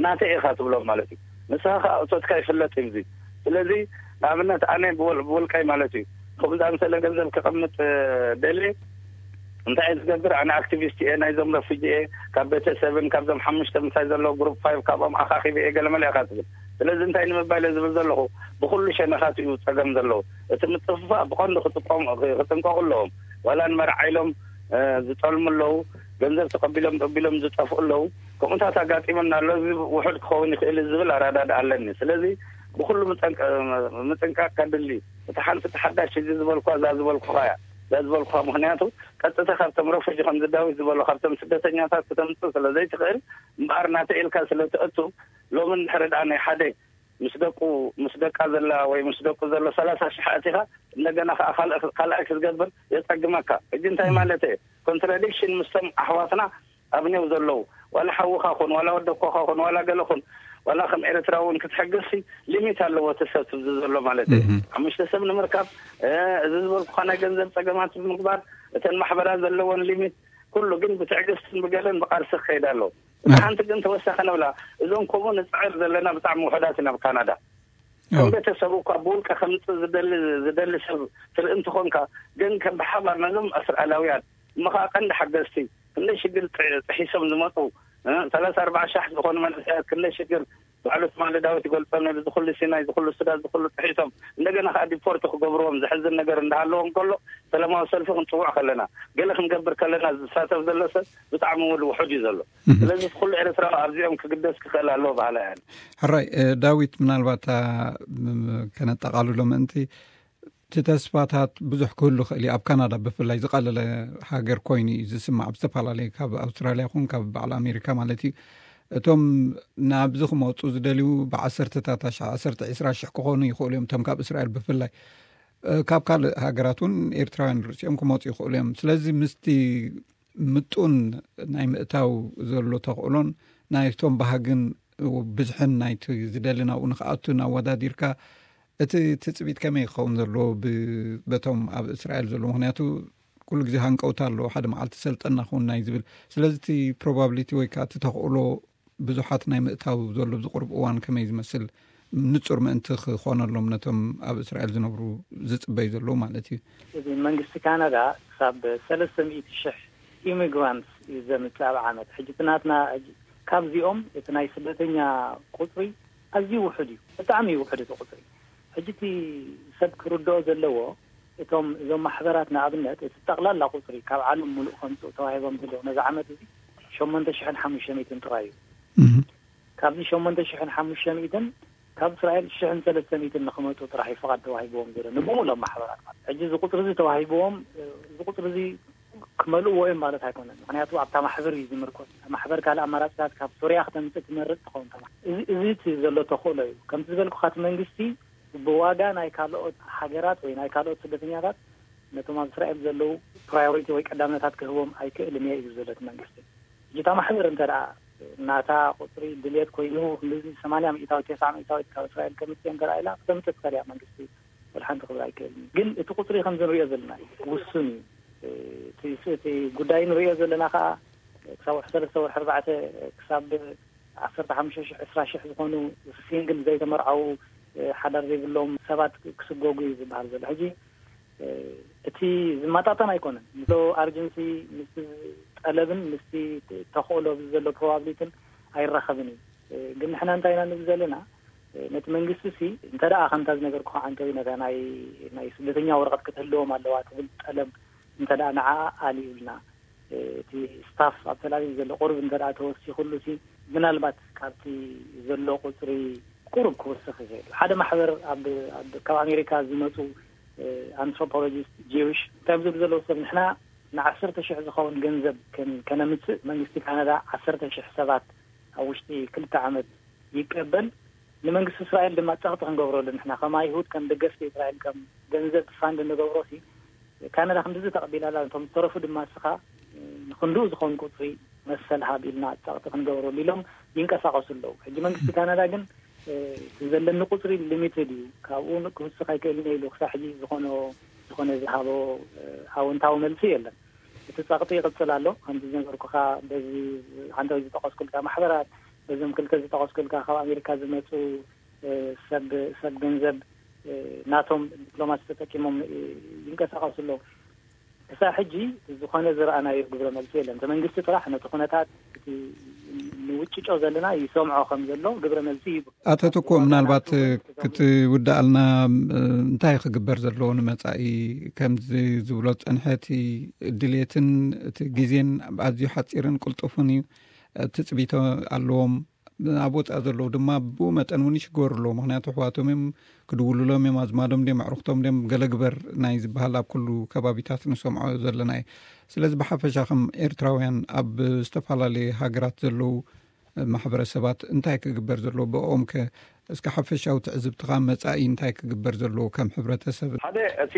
ናተይ ኢኻ ትብሎም ማለት እዩ። ንስኻ ከኣ እቶትካ ይፍለጥ እዩ እዚ። ስለዚ ንኣብነት ኣነ ብወል-፣ ብውልቀይ ማለት እዩ፣ ከምኡ ዝኣመሰለ ገንዘብ ከቐምጥ፣ እ፣ ደልየ እንታይ እየ ዝገብር? ኣነ ኣክቲቪስት እየ፣ ናይዞም ረፉጂ እየ፣ ካብ ቤተሰብን ካብዞም ሓሙሽተ ምሳይ ዘለዉ ግሩፕ ፋይቭ ካብኦም ኣኻኺበ እየ፣ ገለመለ ኢኻ ትብል። ስለዚ እንታይ ንምባል እየ ዝብል ዘለኹ? ብኹሉ ሸነኻት እዩ ጸገም ዘለዉ። እቲ ምጥፍፋእ ብቐንዱ ክጥቀሙ-፣ ክጥንቀቑ ኣለዎም። ዋላ ንመርዓ ኢሎም፣ እ፣ ዝጠልሙ ኣለዉ፣ ገንዘብ ተቐቢሎም፣ ተቐቢሎም ዝጠፍኡ ኣለዉ። ከምኡታት ኣጋጢሙና ኣሎ። እዚ ውሑድ ክኸውን ይኽእል እዩ ዝብል ኣረዳድኣ ኣለኒ። ስለዚ ብኹሉ ምጠንቀ-፣ ምጥንቃቕ ከድሊ። እታ ሓንቲ፣ እታ ሓዳሽ፣ እዚ ዝበልኳ፣ እዛ ዝበልኩኻ እያ። እዛ ዝበልኩኻ፣ ምኽንያቱ ቀጥታ ካብቶም ረፉጂ፣ ከምዚ ዳዊት ዝበሎ፣ ካብቶም ስደተኛታት ክተምጽእ ስለ ዘይትኽእል፣ እምበኣር ናተ ኢልካ ስለ ትእቱ፣ ሎሚ እንድሕሪ ደኣ ናይ ሓደ ምስ ደቁ፣ ምስ ደቃ ዘላ ወይ ምስ ደቁ ዘሎ ሰላሳ ሽሕ ኣእቲኻ፣ እንደገና ከኣ ካልእ፣ ካልኣይ ክትገብር የጸግመካ። ሕጂ እንታይ ማለት እየ? ኮንትራዲክሽን ምስቶም ኣሕዋትና ኣብ ኔው ዘለዉ፣ ዋላ ሓውኻ ኹን፣ ዋላ ወደኮኻ ኹን፣ ዋላ ገለ ኹን፣ ዋላ ከም ኤርትራ እውን ክትሕግዝሲ ሊሚት ኣለዎ እቲ ሰብ ትብዚ ዘሎ ማለት እዩ። እህ። ሓሙሽተ ሰብ ንምርካብ፣ እ፣ እዚ ዝበልኩኻ ናይ ገንዘብ ጸገማት ብምግባር፣ እተን ማሕበራት ዘለወን ሊሚት፣ ኩሉ ግን ብትዕግስትን ብገለን ብቃልሲ ክኸይድ ኣለዎ። እቲ ሓንቲ ግን ተወሳኺ ነብላ፣ እዞም ከምኡ ንጽዕር ዘለና ብጣዕሚ ውሑዳት ኢና ኣብ ካናዳ። ከም ኣዎ። ቤተሰብ እኳ ብውልቀ ከምጽእ ዝደሊ፣ ዝደሊ ሰብ ትርኢ እንትኾንካ፣ ግን ከም ብሓባር ነዞም እስራኤላውያን እሞ ኸዓ ቀንዲ ሓገዝቲ፣ ክንደይ ሽግር ጥ-፣ ጥሒሶም ዝመጹ፣ እ፣ ሰላሳ ኣርባዓ ሻሕ ዝኾኑ መንእሰያት ክንደይ ሽግር፣ ባዕሉ ትማሊ ዳዊት ይገልጾ ነይሩ፣ ዝኹሉ ሲናይ፣ ዝኹሉ ሱዳን፣ ዝኹሉ ጥሒሶም፣ እንደገና ኸዓ ዲፖርት ክገብርዎም ዘሕዝን ነገር እንዳሃለዎም ከሎ፣ ሰላማዊ ሰልፊ ክንጽውዕ ከለና፣ ገለ ክንገብር ከለና ዝሳተፍ ዘሎ ሰብ ብጣዕሚ እውን ውሑድ እዩ ዘሎ። እህ። ስለዚ እቲ ኩሉ ኤርትራዊ ኣብዚኦም ክግደስ ክኽእል ኣለዎ በሃላይ እየ። ሕራይ፣ እ፣ ዳዊት፣ ምናልባት፣ እ፣ ም-፣ ከነጠቓልሎ ምእንቲ፣ እቲ ተስፋታት ብዙሕ ክህሉ ይኽእል እዩ። ኣብ ካናዳ ብፍላይ ዝቐለለ ሃገር ኮይኑ እዩ ዝስማዕ፣ ኣብ ዝተፈላለየ፣ ካብ ኣውስትራልያ ይኹን ካብ በዓል ኣሜሪካ ማለት እዩ። እቶም ናብዚ ክመፁ ዝደልዩ ብዓሰርተታት ኣሽሓት፣ ዓሰርተ፣ ዕስራ ሽሕ ክኾኑ ይኽእሉ እዮም፣ እቶም ካብ እስራኤል ብፍላይ። እ፣ ካብ ካልእ ሃገራት እውን ኤርትራውያን ርእሲኦም ክመፁ ይኽእሉ እዮም። ስለዚ ምስቲ ምጡን ናይ ምእታው ዘሎ ተኽእሎን ናይቶም ባህግን ብዝሕን ናይቲ ዝደሊ ናብኡ ንኽኣቱን ኣወዳዲርካ፣ እቲ ትጽቢት ከመይ ክኸውን ዘለዎ ብ-፣ በቶም ኣብ እስራኤል ዘሎ? ምኽንያቱ ኩሉ ግዜ ሃንቀውታ ኣለዎ፣ ሓደ መዓልቲ ሰልጠና ክውን ናይ ዝብል። ስለዚ እቲ ፕሮባብሊቲ ወይ ከዓ እቲ ተኽእሎ ብዙሓት ናይ ምእታው ዘሎ ኣብዚ ቁሩብ እዋን ከመይ ዝመስል ንጹር ምእንቲ ክኾነሎም ነቶም ኣብ እስራኤል ዝነብሩ ዝጽበዩ ዘለዉ ማለት እዩ። እዚ መንግስቲ ካናዳ ክሳብ ሰለስተ ሚእቲ ሽሕ ኢሚግራንትስ እዩ ዘምጽእ ኣብ ዓመት። ሕጂ እቲ ናትና፣ ሕጂ ካብዚኦም እቲ ናይ ስደተኛ ቁጽሪ ኣዝዩ ውሑድ እዩ፣ ብጣዕሚ እዩ ውሑድ እቲ ቁጽሪ። ሕጂ እቲ ሰብ ክርድኦ ዘለዎ፣ እቶም፣ እዞም ማሕበራት ንኣብነት እቲ ጠቕላላ ቁጽሪ ካብ ዓለም ሙሉእ ከምጽኡ ተዋሂቦም ዘለዉ ነዚ ዓመት እዚ ሸሞንተ ሽሕን ሓሙሽተ ሚእትን ጥራይ እዩ። እህ። ካብዚ ሸሞንተ ሽሕን ሓሙሽተ ሚእትን ካብ እስራኤል ሽሕን ሰለስተ ሚእትን ንኽመጹ ጥራሕ እዩ ፍቓድ ተዋሂብዎም ዘሎ፣ ንብሙሎም ማሕበራት ማለት። ሕጂ እዚ ቁጽሪ እዚ ተዋሂብዎም፣ እዚ ቁጽሪ እዚ ክመልእዎ እዮም ማለት ኣይኮነን። ምኽንያቱ ኣብታ ማሕበር እዩ ዝምርኮስ። ማሕበር ካልእ ኣማራጺታት ካብ ሶርያ ክተምጽእ ትመርጽ ትኸውን ተማ-፣ እዚ፣ እዚ እቲ ዘሎ ተኽእሎ እዩ። ከምቲ ዝበልኩኻ እቲ መንግስቲ ብዋጋ ናይ ካልኦት ሃገራት ወይ ናይ ካልኦት ስደተኛታት ነቶም ኣብ እስራኤል ዘለዉ ፕራዮሪቲ ወይ ቀዳምነታት ክህቦም ኣይክእልን እየ እዩ ዝብል እቲ መንግስቲ። ሕጂ እታ ማሕበር እንተ ደኣ ናታ ቁጽሪ ድልየት ኮይኑ፣ ክንድዚ ሰማንያ ሚእታዊት፣ ተስዓ ሚእታዊት ካብ እስራኤል ከምጽእ እንተ ደኣ ኢላ፣ ክተምጽእ ትኽእል እያ። መንግስቲ ወላ ሓንቲ ክብል ኣይክእልን እዩ። ግን እቲ ቁጽሪ ከምዚ ንሪኦ ዘለና እዩ፣ ውሱን እዩ። እቲ እቲ ጉዳይ ንሪኦ ዘለና ከዓ ክሳብ ወርሒ ሰለስተ፣ ወርሒ ኣርባዕተ፣ ክሳብ ዓሰርተ ሓሙሽተ ሺሕ፣ ዕስራ ሺሕ ዝኾኑ ሲንግል ዘይተመርዓዉ ሓዳር ዘይብሎም ሰባት ክስጎጉ እዩ ዝበሃል ዘሎ። ሕጂ እቲ ዝመጣጠን ኣይኮነን። ምስ ኣርጀንሲ፣ ምስ ጠለብን ምስቲ ተኽእሎ ዘሎ ፕሮባብሊትን ኣይራኸብን እዩ። ግን ንሕና እንታይ ኢና ንብል ዘለና? ነቲ መንግስቲ ሲ እንተ ደኣ ከምታ ዝነገርኩኻ ዓንተዊ ነታ ናይ ናይ ስደተኛ ወረቐት ክትህልዎም ኣለዋ ትብል ጠለብ እንተ ደኣ ንዓ ኣልዩልና፣ እቲ ስታፍ ኣብ ተላቪቭ ዘሎ ቁርብ እንተ ደኣ ተወሲኹሉ ሲ ምናልባት ካብቲ ዘሎ ቁፅሪ ቁሩብ ክወስኽ ይኽእል። ሓደ ማሕበር ኣብ ኣብ ካብ ኣሜሪካ ዝመፁ ኣንትሮፖሎጂስት ጂውሽ እንታይ ዝብሉ ዘለዉ ሰብ ንሕና ንዓሰርተ ሽሕ ዝኸውን ገንዘብ ከን- ከነምፅእ መንግስቲ ካናዳ ዓሰርተ ሽሕ ሰባት ኣብ ውሽጢ ክልተ ዓመት ይቀበል። ንመንግስቲ እስራኤል ድማ ጸቕጢ ክንገብረሉ ንሕና ከም ኣይሁድ ከም ደገፍቲ እስራኤል ከም ገንዘብ ፋንድ እንገብሮ ሲ ካናዳ ክንድዚ ተቐቢላላ እቶም ዝተረፉ ድማ እስኻ ንክንድኡ ዝኾን ቁፅሪ መሰል ሃብ ኢልና ጸቕጢ ክንገብረሉ ኢሎም ይንቀሳቐሱ ኣለዉ። ሕጂ መንግስቲ ካናዳ ግን እቲ ዘለኒ ቁፅሪ ሊሚትድ እዩ፣ ካብኡ ክውስኽ ኣይክእልን ኢሉ ክሳብ ሕጂ ዝኾነ ዝኾነ ዝሃቦ ኣወንታዊ መልሲ የለን። እቲ ጸቕጢ ይቕጽል ኣሎ። ከምዚ ዝነገርኩኻ በዚ ዓንተዊ ዝጠቐስኩልካ ማሕበራት፣ በዞም ክልተ ዝጠቐስኩልካ ካብ ኣሜሪካ ዝመጹ ሰብ ሰብ ገንዘብ ናቶም ዲፕሎማሲ ተጠቂሞም ይንቀሳቐሱ ኣለዉ። ክሳብ ሕጂ ዝኾነ ዝረኣናዮ ግብረ መልሲ የለን። እቲ መንግስቲ ጥራሕ ነቲ ኩነታት እቲ ንውጭጮ ዘለና ይሰምዖ ከም ዘሎ ግብረ መልሲ ሂቡ። ኣቶ ትኩእ፣ ምናልባት ክትውድኣልና፣ እንታይ ክግበር ዘለዎ ንመጻኢ? ከምዚ ዝብሎ ዝጸንሐ እቲ ድሌትን እቲ ግዜን ኣዝዩ ሓጺርን ቅልጡፍን እዩ። ትጽቢቶ ኣለዎም። ኣብ ወጻኢ ዘለዉ ድማ ብኡ መጠን እውን ይሽገሩ ኣለዉ። ምኽንያቱ ኣሕዋቶም እዮም፣ ክድውሉሎም እዮም፣ ኣዝማዶም ድዮም፣ ኣዕሩኽቶም ድዮም፣ ገለ ግበር ናይ ዝበሃል ኣብ ኩሉ ከባቢታት ንሰምዖ ዘለና እዩ። ስለዚ ብሓፈሻ ከም ኤርትራውያን ኣብ ዝተፈላለየ ሃገራት ዘለዉ ማሕበረሰባት እንታይ ክግበር ዘለዎ ብኦም ከ? እስከ ሓፈሻዊ ትዕዝብትኻ መጻኢ እንታይ ክግበር ዘለዎ ከም ሕብረተሰብ? ሓደ እቲ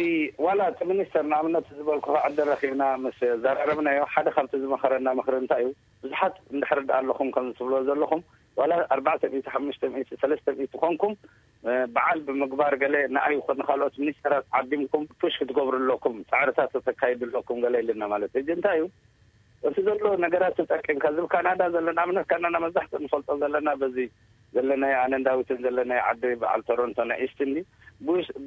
ዋላ እቲ ሚኒስተር ንኣብነት ዝበልኩ ዕድል ረኺብና ምስ ዘራረብናዮ ሓደ ካብቲ ዝመኸረና ምኽሪ እንታይ እዩ? ብዙሓት እንድሕር ደኣ ኣለኹም ከም ዝብሎ ዘለኹም ዋላ ኣርባዕተ ሚእቲ፣ ሓሙሽተ ሚእቲ፣ ሰለስተ ሚእቲ ኮንኩም በዓል ብምግባር ገለ ንኣይ ይኹን ንኻልኦት ሚኒስተራት ዓዲምኩም ፑሽ ክትገብሩ ኣለኩም፣ ጻዕርታት ተካይዱ ኣለኩም ገለ ኢልና ማለት እዩ። ሕጂ እንታይ እዩ እቲ ዘሎ ነገራት ተጠቂምካ ዝብል ካናዳ ዘለና ኣብነት ካናዳ መብዛሕትኡ ንፈልጦ ዘለና በዚ ዘለናዮ ኣነን ዳዊትን ዘለናዮ ዓዲ በዓል ቶሮንቶ ናይ ኢስት እንዲ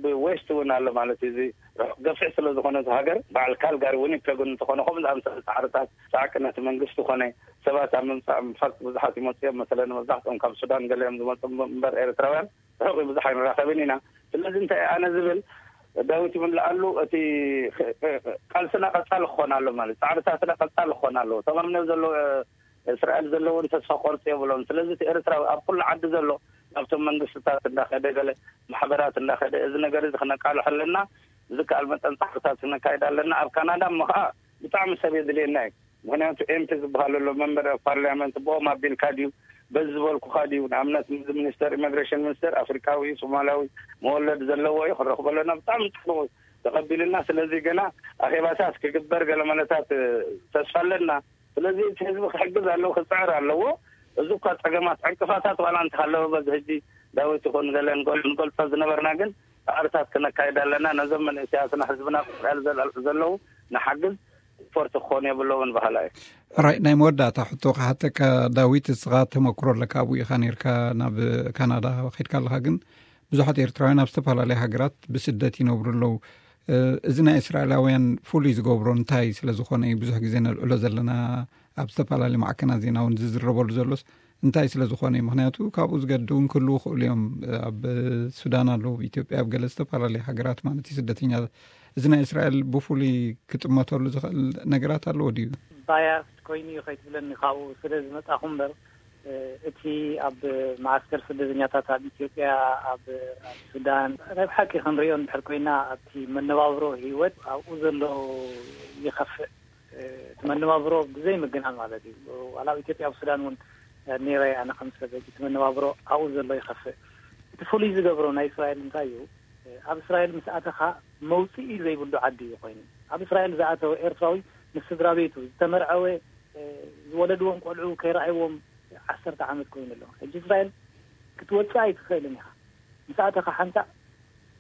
ብዌስት እውን ኣሎ ማለት እዩ። እዚ ርሑቕ ገፊሕ ስለ ዝኾነ እቲ ሃገር በዓል ካልጋሪ ዊኒፔግ እውን እንተኾነ ከምኡ ዝኣምሰለ ጻዕርታት ጻዕቂ ነቲ መንግስቲ ኮነ ሰባት ኣብ ምምጻእ ምፋጥ ብዙሓት ይመፁ እዮም። መሰለን መብዛሕትኦም ካብ ሱዳን ገለ እዮም ዝመፁ እምበር ኤርትራውያን ርሑቕ ብዙሕ ኣይንራኸብን ኢና። ስለዚ እንታይ ኣነ ዝብል ዳዊት ይምልኣሉ እቲ ቃልስና ቀጻሊ ክኾን ኣሎ ማለት ጻዕርታትና ቀጻሊ ክኾን ኣለዎ። ተማምነ ዘሎ እስራኤል ዘለውን ተስፋ ቆርፂ የብሎም። ስለዚ እቲ ኤርትራዊ ኣብ ኩሉ ዓዲ ዘሎ ናብቶም መንግስትታት እንዳኸደ ገለ ማሕበራት እንዳኸደ እዚ ነገር እዚ ክነቃልሖ ኣለና። ዝከኣል መጠን ጻዕርታት ክነካይድ ኣለና። ኣብ ካናዳ እሞ ከዓ ብጣዕሚ ሰብ የድልየና እዩ። ምክንያቱ ኤምፒ ዝበሃል ኣሎ መንበር ኦፍ ፓርላመንት ብኦም ኣቢልካ ድዩ በዚ ዝበልኩካ ድዩ ንኣብነት እዚ ሚኒስተር ኢሚግሬሽን ሚኒስተር ኣፍሪካዊ ሶማላዊ መወለድ ዘለዎ እዩ ክንረክቦ ኣለና ብጣዕሚ ፅቡቅ ተቀቢልና ስለዚ ገና ኣኼባታት ክግበር ገለ መለታት ተስፋ ኣለና ስለዚ እቲ ህዝቢ ክሕግዝ ኣለዎ ክፅዕር ኣለዎ እዚ እኳ ፀገማት ዕንቅፋታት ዋላ እንተሃለወ በዚ ህጂ ዳዊት ይኹን ገለ ንገልፆ ዝነበርና ግን ፃዕርታት ክነካይድ ኣለና ነዞም መንእሰያትና ህዝብና ክፅዕር ዘለዉ ንሓግዝ ስፖርት ክኾኑ የብለውን ባህላ እዩ። ሕራይ ናይ መወዳእታ ሕቶ ክሓተካ ዳዊት፣ እስኻ ተመክሮ ኣለካ ኣብኡ ኢኻ ነርካ ናብ ካናዳ ከድካ ኣለኻ፣ ግን ብዙሓት ኤርትራውያን ኣብ ዝተፈላለያ ሃገራት ብስደት ይነብሩ ኣለዉ። እዚ ናይ እስራኤላውያን ፍሉይ ዝገብሮ እንታይ ስለ ዝኾነ እዩ ብዙሕ ግዜ ነልዕሎ ዘለና ኣብ ዝተፈላለየ ማዕከናት ዜና እውን ዝዝረበሉ ዘሎስ እንታይ ስለ ዝኾነ እዩ? ምኽንያቱ ካብኡ ዝገድድ እውን ክህልዉ ይኽእሉ እዮም። ኣብ ሱዳን ኣለዉ፣ ኢትዮጵያ፣ ኣብ ገለ ዝተፈላለየ ሃገራት ማለት እዩ ስደተኛታት። እዚ ናይ እስራኤል ብፍሉይ ክጥመተሉ ዝኽእል ነገራት ኣለዎ ድዩ? ባያስድ ኮይኑ እዩ ከይትብለኒ ካብኡ ስለ ዝመጻኹ እምበር እቲ ኣብ መዓስከር ስደተኛታት ኣብ ኢትዮጵያ ኣብ ሱዳን ናይ ብሓቂ ክንሪኦ እንድሕር ኮይና ኣብቲ መነባብሮ ህይወት ኣብኡ ዘሎ ይኸፍእ እቲ መነባብሮ ብዘይ ምግናን ማለት እዩ። ዋላ ኣብ ኢትዮጵያ ኣብ ሱዳን እውን ነይረ ኣነ ከም ሰብ እቲ መነባብሮ ኣብኡ ዘሎ ይኸፍእ። እቲ ፍሉይ ዝገብሮ ናይ እስራኤል እንታይ እዩ? ኣብ እስራኤል ምስ ኣተኻ መውፅኢ ዘይብሉ ዓዲ እዩ ኮይኑ። ኣብ እስራኤል ዝኣተወ ኤርትራዊ ምስ ስድራ ቤቱ ዝተመርዐወ ዝወለድዎም ቆልዑ ከይረኣይዎም ዓሰርተ ዓመት ኮይኑ ኣሎ። ሕጂ እስራኤል ክትወፅእ ኣይትኽእልን ኢኻ። ምስ ኣተኻ ሓንሳእ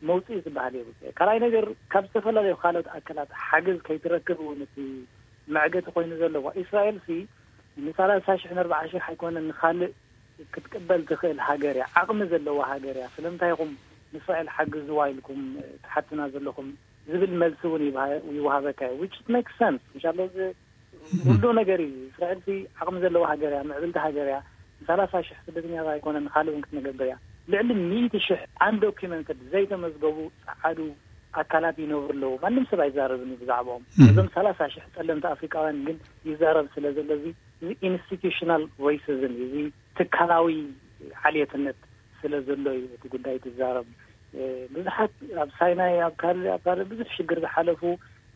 መውፅኢ ዝበሃል የብሉ። ካልኣይ ነገር፣ ካብ ዝተፈላለዩ ካልኦት ኣካላት ሓገዝ ከይትረክብ እውን እቲ መዕገቲ ኮይኑ ዘለዋ። እስራኤል ሲ ንሰላሳ ሽሕ ንኣርባዓ ሽሕ ኣይኮነን፣ ንኻልእ ክትቅበል ትኽእል ሃገር እያ፣ ዓቕሚ ዘለዋ ሃገር እያ። ስለምንታይ ኢኹም ንእስራኤል ሓግዝዋ ኢልኩም ትሓትና ዘለኹም ዝብል መልሲ እውን ይብሃ- ይወሃበካ እዩ። Which makes sense። ምሻሎ እዚ ኩሉ ነገር እዩ። እስራኤል ሲ ዓቕሚ ዘለዋ ሃገር እያ፣ ምዕብልቲ ሃገር እያ። ንሰላሳ ሽሕ ስደተኛታት ኣይኮነን፣ ንኻልእ እውን ክትነገብር እያ። ልዕሊ ሚእቲ ሽሕ undocumented፣ ዘይተመዝገቡ ጸዓዱ ኣካላት ይነብሩ ኣለዉ። ማንም ሰብ ኣይዛረብን እዩ ብዛዕባኦም። እዞም ሰላሳ ሽሕ ጸለምቲ ኣፍሪቃውያን ግን ይዛረብ ስለ ዘሎ፣ እዚ፣ እዚ institutional racism እዩ። እዚ ትካላዊ ዓልየትነት ስለ ዘሎ እዩ እቲ ጉዳይ ትዛረብ። እ፣ ብዙሓት ኣብ ሳይናይ፣ ኣብ ካልእ፣ ኣብ ካልእ ብዙሕ ሽግር ዝሓለፉ፣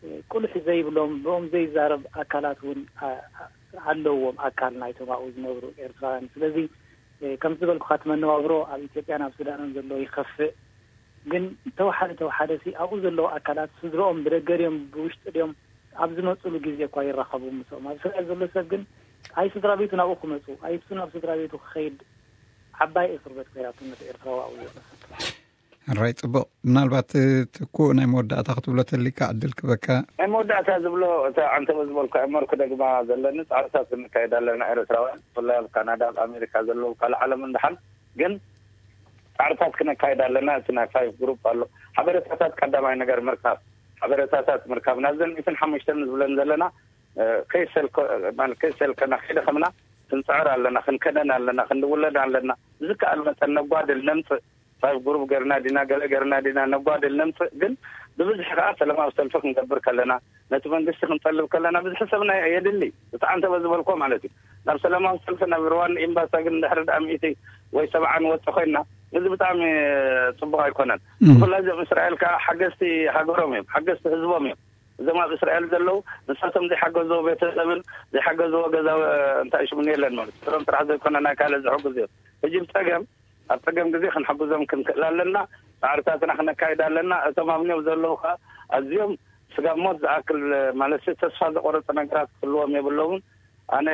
እ፣ ቁልሕ ዘይብሎም፣ ብኦም ዘይዛረብ ኣካላት እውን፣ ኣ-፣ ኣ-፣ ኣለዎም፣ ኣካል ናይቶም ኣብኡ ዝነብሩ ኤርትራውያን። ስለዚ፣ እ፣ ከም ዝበልኩኻ፣ እቲ መነባብሮ ኣብ ኢትዮጵያን ኣብ ሱዳንን ዘሎ ይኸፍእ። ግን ተወሓደ ተወሓደ ሲ ኣብኡ ዘለዉ ኣካላት ስድረኦም ብደገ ድዮም ብውሽጢ ድዮም ኣብ ዝመፅሉ ግዜ እኳ ይራኸቡ ምስኦም። ኣብ እስራኤል ዘሎ ሰብ ግን ኣይ ስድራ ቤቱ ናብኡ ክመፁ፣ ኣይ እሱ ናብ ስድራ ቤቱ ክኸይድ ዓባይ እስር ቤት ኮይናቶ ነቲ ኤርትራዊ ኣብኡ ዘሎ ሰብ። ሕራይ፣ ጽቡቕ። ምናልባት ትኩእ ናይ መወዳእታ ክትብሎ ተሊካ ዕድል ክበካ። ናይ መወዳእታ ዝብሎ፣ እታ ዓንተበ ዝበልኩ እመርኩ ደግማ ዘለኒ፣ ጻዕርታት ክንካየድ ኣለና ኤርትራውያን፣ ብፍላይ ኣብ ካናዳ፣ ኣብ ኣሜሪካ ዘለዉ ካልእ ዓለም እንደሓን ግን ጻዕርታት ክነካየድ ኣለና። እቲ ናይ ፋይቭ ግሩፕ ኣሎ። ሓበሬታታት ቀዳማይ ነገር ምርካብ፣ ሓበሬታታት ምርካብ ናብዘን ሚእትን ሓሙሽተን ዝብለን ዘለና፣ እ፣ ከይሰልኮ-፣ ማለት ከይሰልከና፣ ከይደኸምና ክንጽዕር ኣለና፣ ክንከደን ኣለና፣ ክንድውለድ ኣለና። ብዝከኣል መጠን ነጓድል፣ ነምጽእ። ፋይቭ ግሩፕ ገርና ዲና፣ ገለ ገርና ዲና፣ ነጓድል፣ ነምጽእ። ግን ብብዝሒ ከኣ ሰላማዊ ሰልፊ ክንገብር ከለና፣ ነቲ መንግስቲ ክንጠልብ ከለና፣ ብዝሒ ሰብና የድሊ። ብጣዕሚ ተበዝበልኮ ማለት እዩ። ናብ ሰላማዊ ሰልፊ፣ ናብ ሩዋንዳ ኤምባሳ ግን ድሕሪ ደኣ ሚእቲ ወይ ሰብዓ ንወጽእ ኮይንና፣ እዚ ብጣዕሚ ጽቡቕ ኣይኮነን። እም። ብፍላይ እዞም እስራኤል ከኣ ሓገዝቲ ሃገሮም እዮም፣ ሓገዝቲ ህዝቦም እዮም። እዞም ኣብ እስራኤል ዘለዉ፣ ንሳቶም ዘይሓገዝዎ ቤተሰብን ዘይሓገዝዎ ገዛ፣ እንታይ ሽሙን የለን ማለት እዩ። ስሮም ጥራሕ ዘይኮነ ናይ ካልእ ዝሕግዙ እዮም። ሕጂ ብጸገም፣ ኣብ ጸገም ግዜ ክንሕግዞም ክንክእል ኣለና። ጻዕርታትና ክነካይድ ኣለና። እቶም ኣብ ኒዮብ ዘለዉ ከኣ ኣዝዮም ስጋብ ሞት ዝኣክል፣ ማለት ተስፋ ዘቆረጸ ነገራት ክህልዎም የብሎምን። ኣነ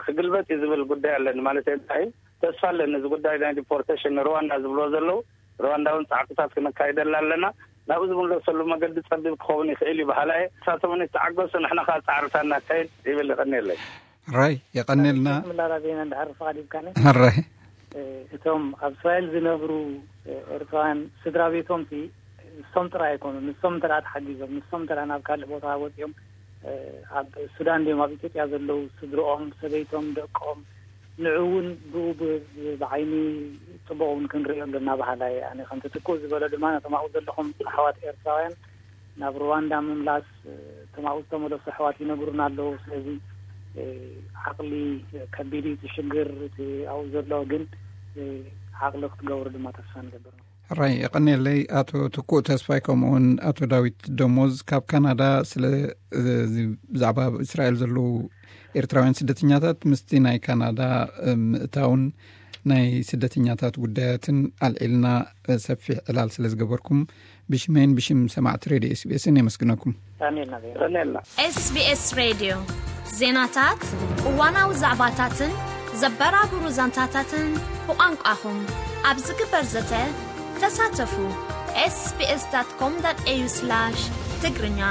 ክግልበጥ እዩ ዝብል ጉዳይ ኣለኒ። ማለት እንታይ እዩ? ተስፋ ኣለኒ። እዚ ጉዳይ ናይ ዲፖርቴሽን ንሩዋንዳ ዝብልዎ ዘለዉ፣ ሩዋንዳ እውን ጻዕርታት ክነካይደላ ኣለና። ናብኡ ዝምለሰሉ መገዲ ጸቢብ ክኸውን ይኽእል እዩ በሃላይ እየ። ንሳቶም እውን ይተዓገሱ፣ ንሕና ከኣ ጻዕርታት እናካየድ ይብል። ይቐንየለይ። ሕራይ፣ የቐንየልና። ምላላ ዜና እንድሕር ፍቓድ ይብካኒ። ሕራይ። እ፣ እቶም ኣብ እስራኤል ዝነብሩ፣ እ፣ ኤርትራውያን ስድራ ቤቶም ሲ ንሶም ጥራይ ኣይኮኑን። ንሶም እንተ ደኣ ተሓጊዞም፣ ንሶም እንተ ደኣ ናብ ካልእ ቦታ ወጺኦም፣ እ፣ ኣብ ሱዳን ድዮም ኣብ ኢትዮጵያ ዘለዉ፣ ስድርኦም፣ ሰበይቶም፣ ደቆም፣ ንዑ እውን ብኡ ብ-፣ ብ-፣ ብዓይኒ ጽቡቕ እውን ክንርእዮ ኣለና በሃላይ እየ። ኣነ ከምቲ ትኩእ ዝበሎ ድማ ነቶም ኣብኡ ዘለኹም ኣሕዋት ኤርትራውያን ናብ ሩዋንዳ ምምላስ፣ እ፣ እቶም ኣብኡ ዝተመለሱ ኣሕዋት ይነግሩና ኣለዉ። ስለዚ፣ እ፣ ዓቕሊ ከቢድ እዩ እቲ ሽግር፣ እቲ ኣብኡ ዘሎ ግን፣ እ፣ ዓቕሊ ክትገብሩ ድማ ተስፋ ንገብር። ሕራይ፣ የቐንየለይ ኣቶ ትኩእ ተስፋይ፣ ከምኡውን ኣቶ ዳዊት ደሞዝ ካብ ካናዳ ስለ፣ እ፣ እዚ ብዛዕባ ኣብ እስራኤል ዘለዉ ኤርትራውያን ስደተኛታት ምስቲ ናይ ካናዳ፣ እ፣ ምእታውን ናይ ስደተኛታት ጉዳያትን ኣልዒልና፣ እ፣ ሰፊሕ ዕላል ስለ ዝገበርኩም ብሽመይን ብሽም ሰማዕቲ ሬድዮ ኤስቢኤስን የመስግነኩም። የቐንየልና ዜና። የቐንየልና። ኤስቢኤስ ሬድዮ ዜናታት፣ እዋናዊ ዛዕባታትን ዘበራብሩ ዛንታታትን ብቋንቋኹም ኣብ ዝግበር ዘተ ተሳተፉ። ኤስቢኤስ ዳት ኮም ዳት ኤዩ ስላሽ ትግርኛ።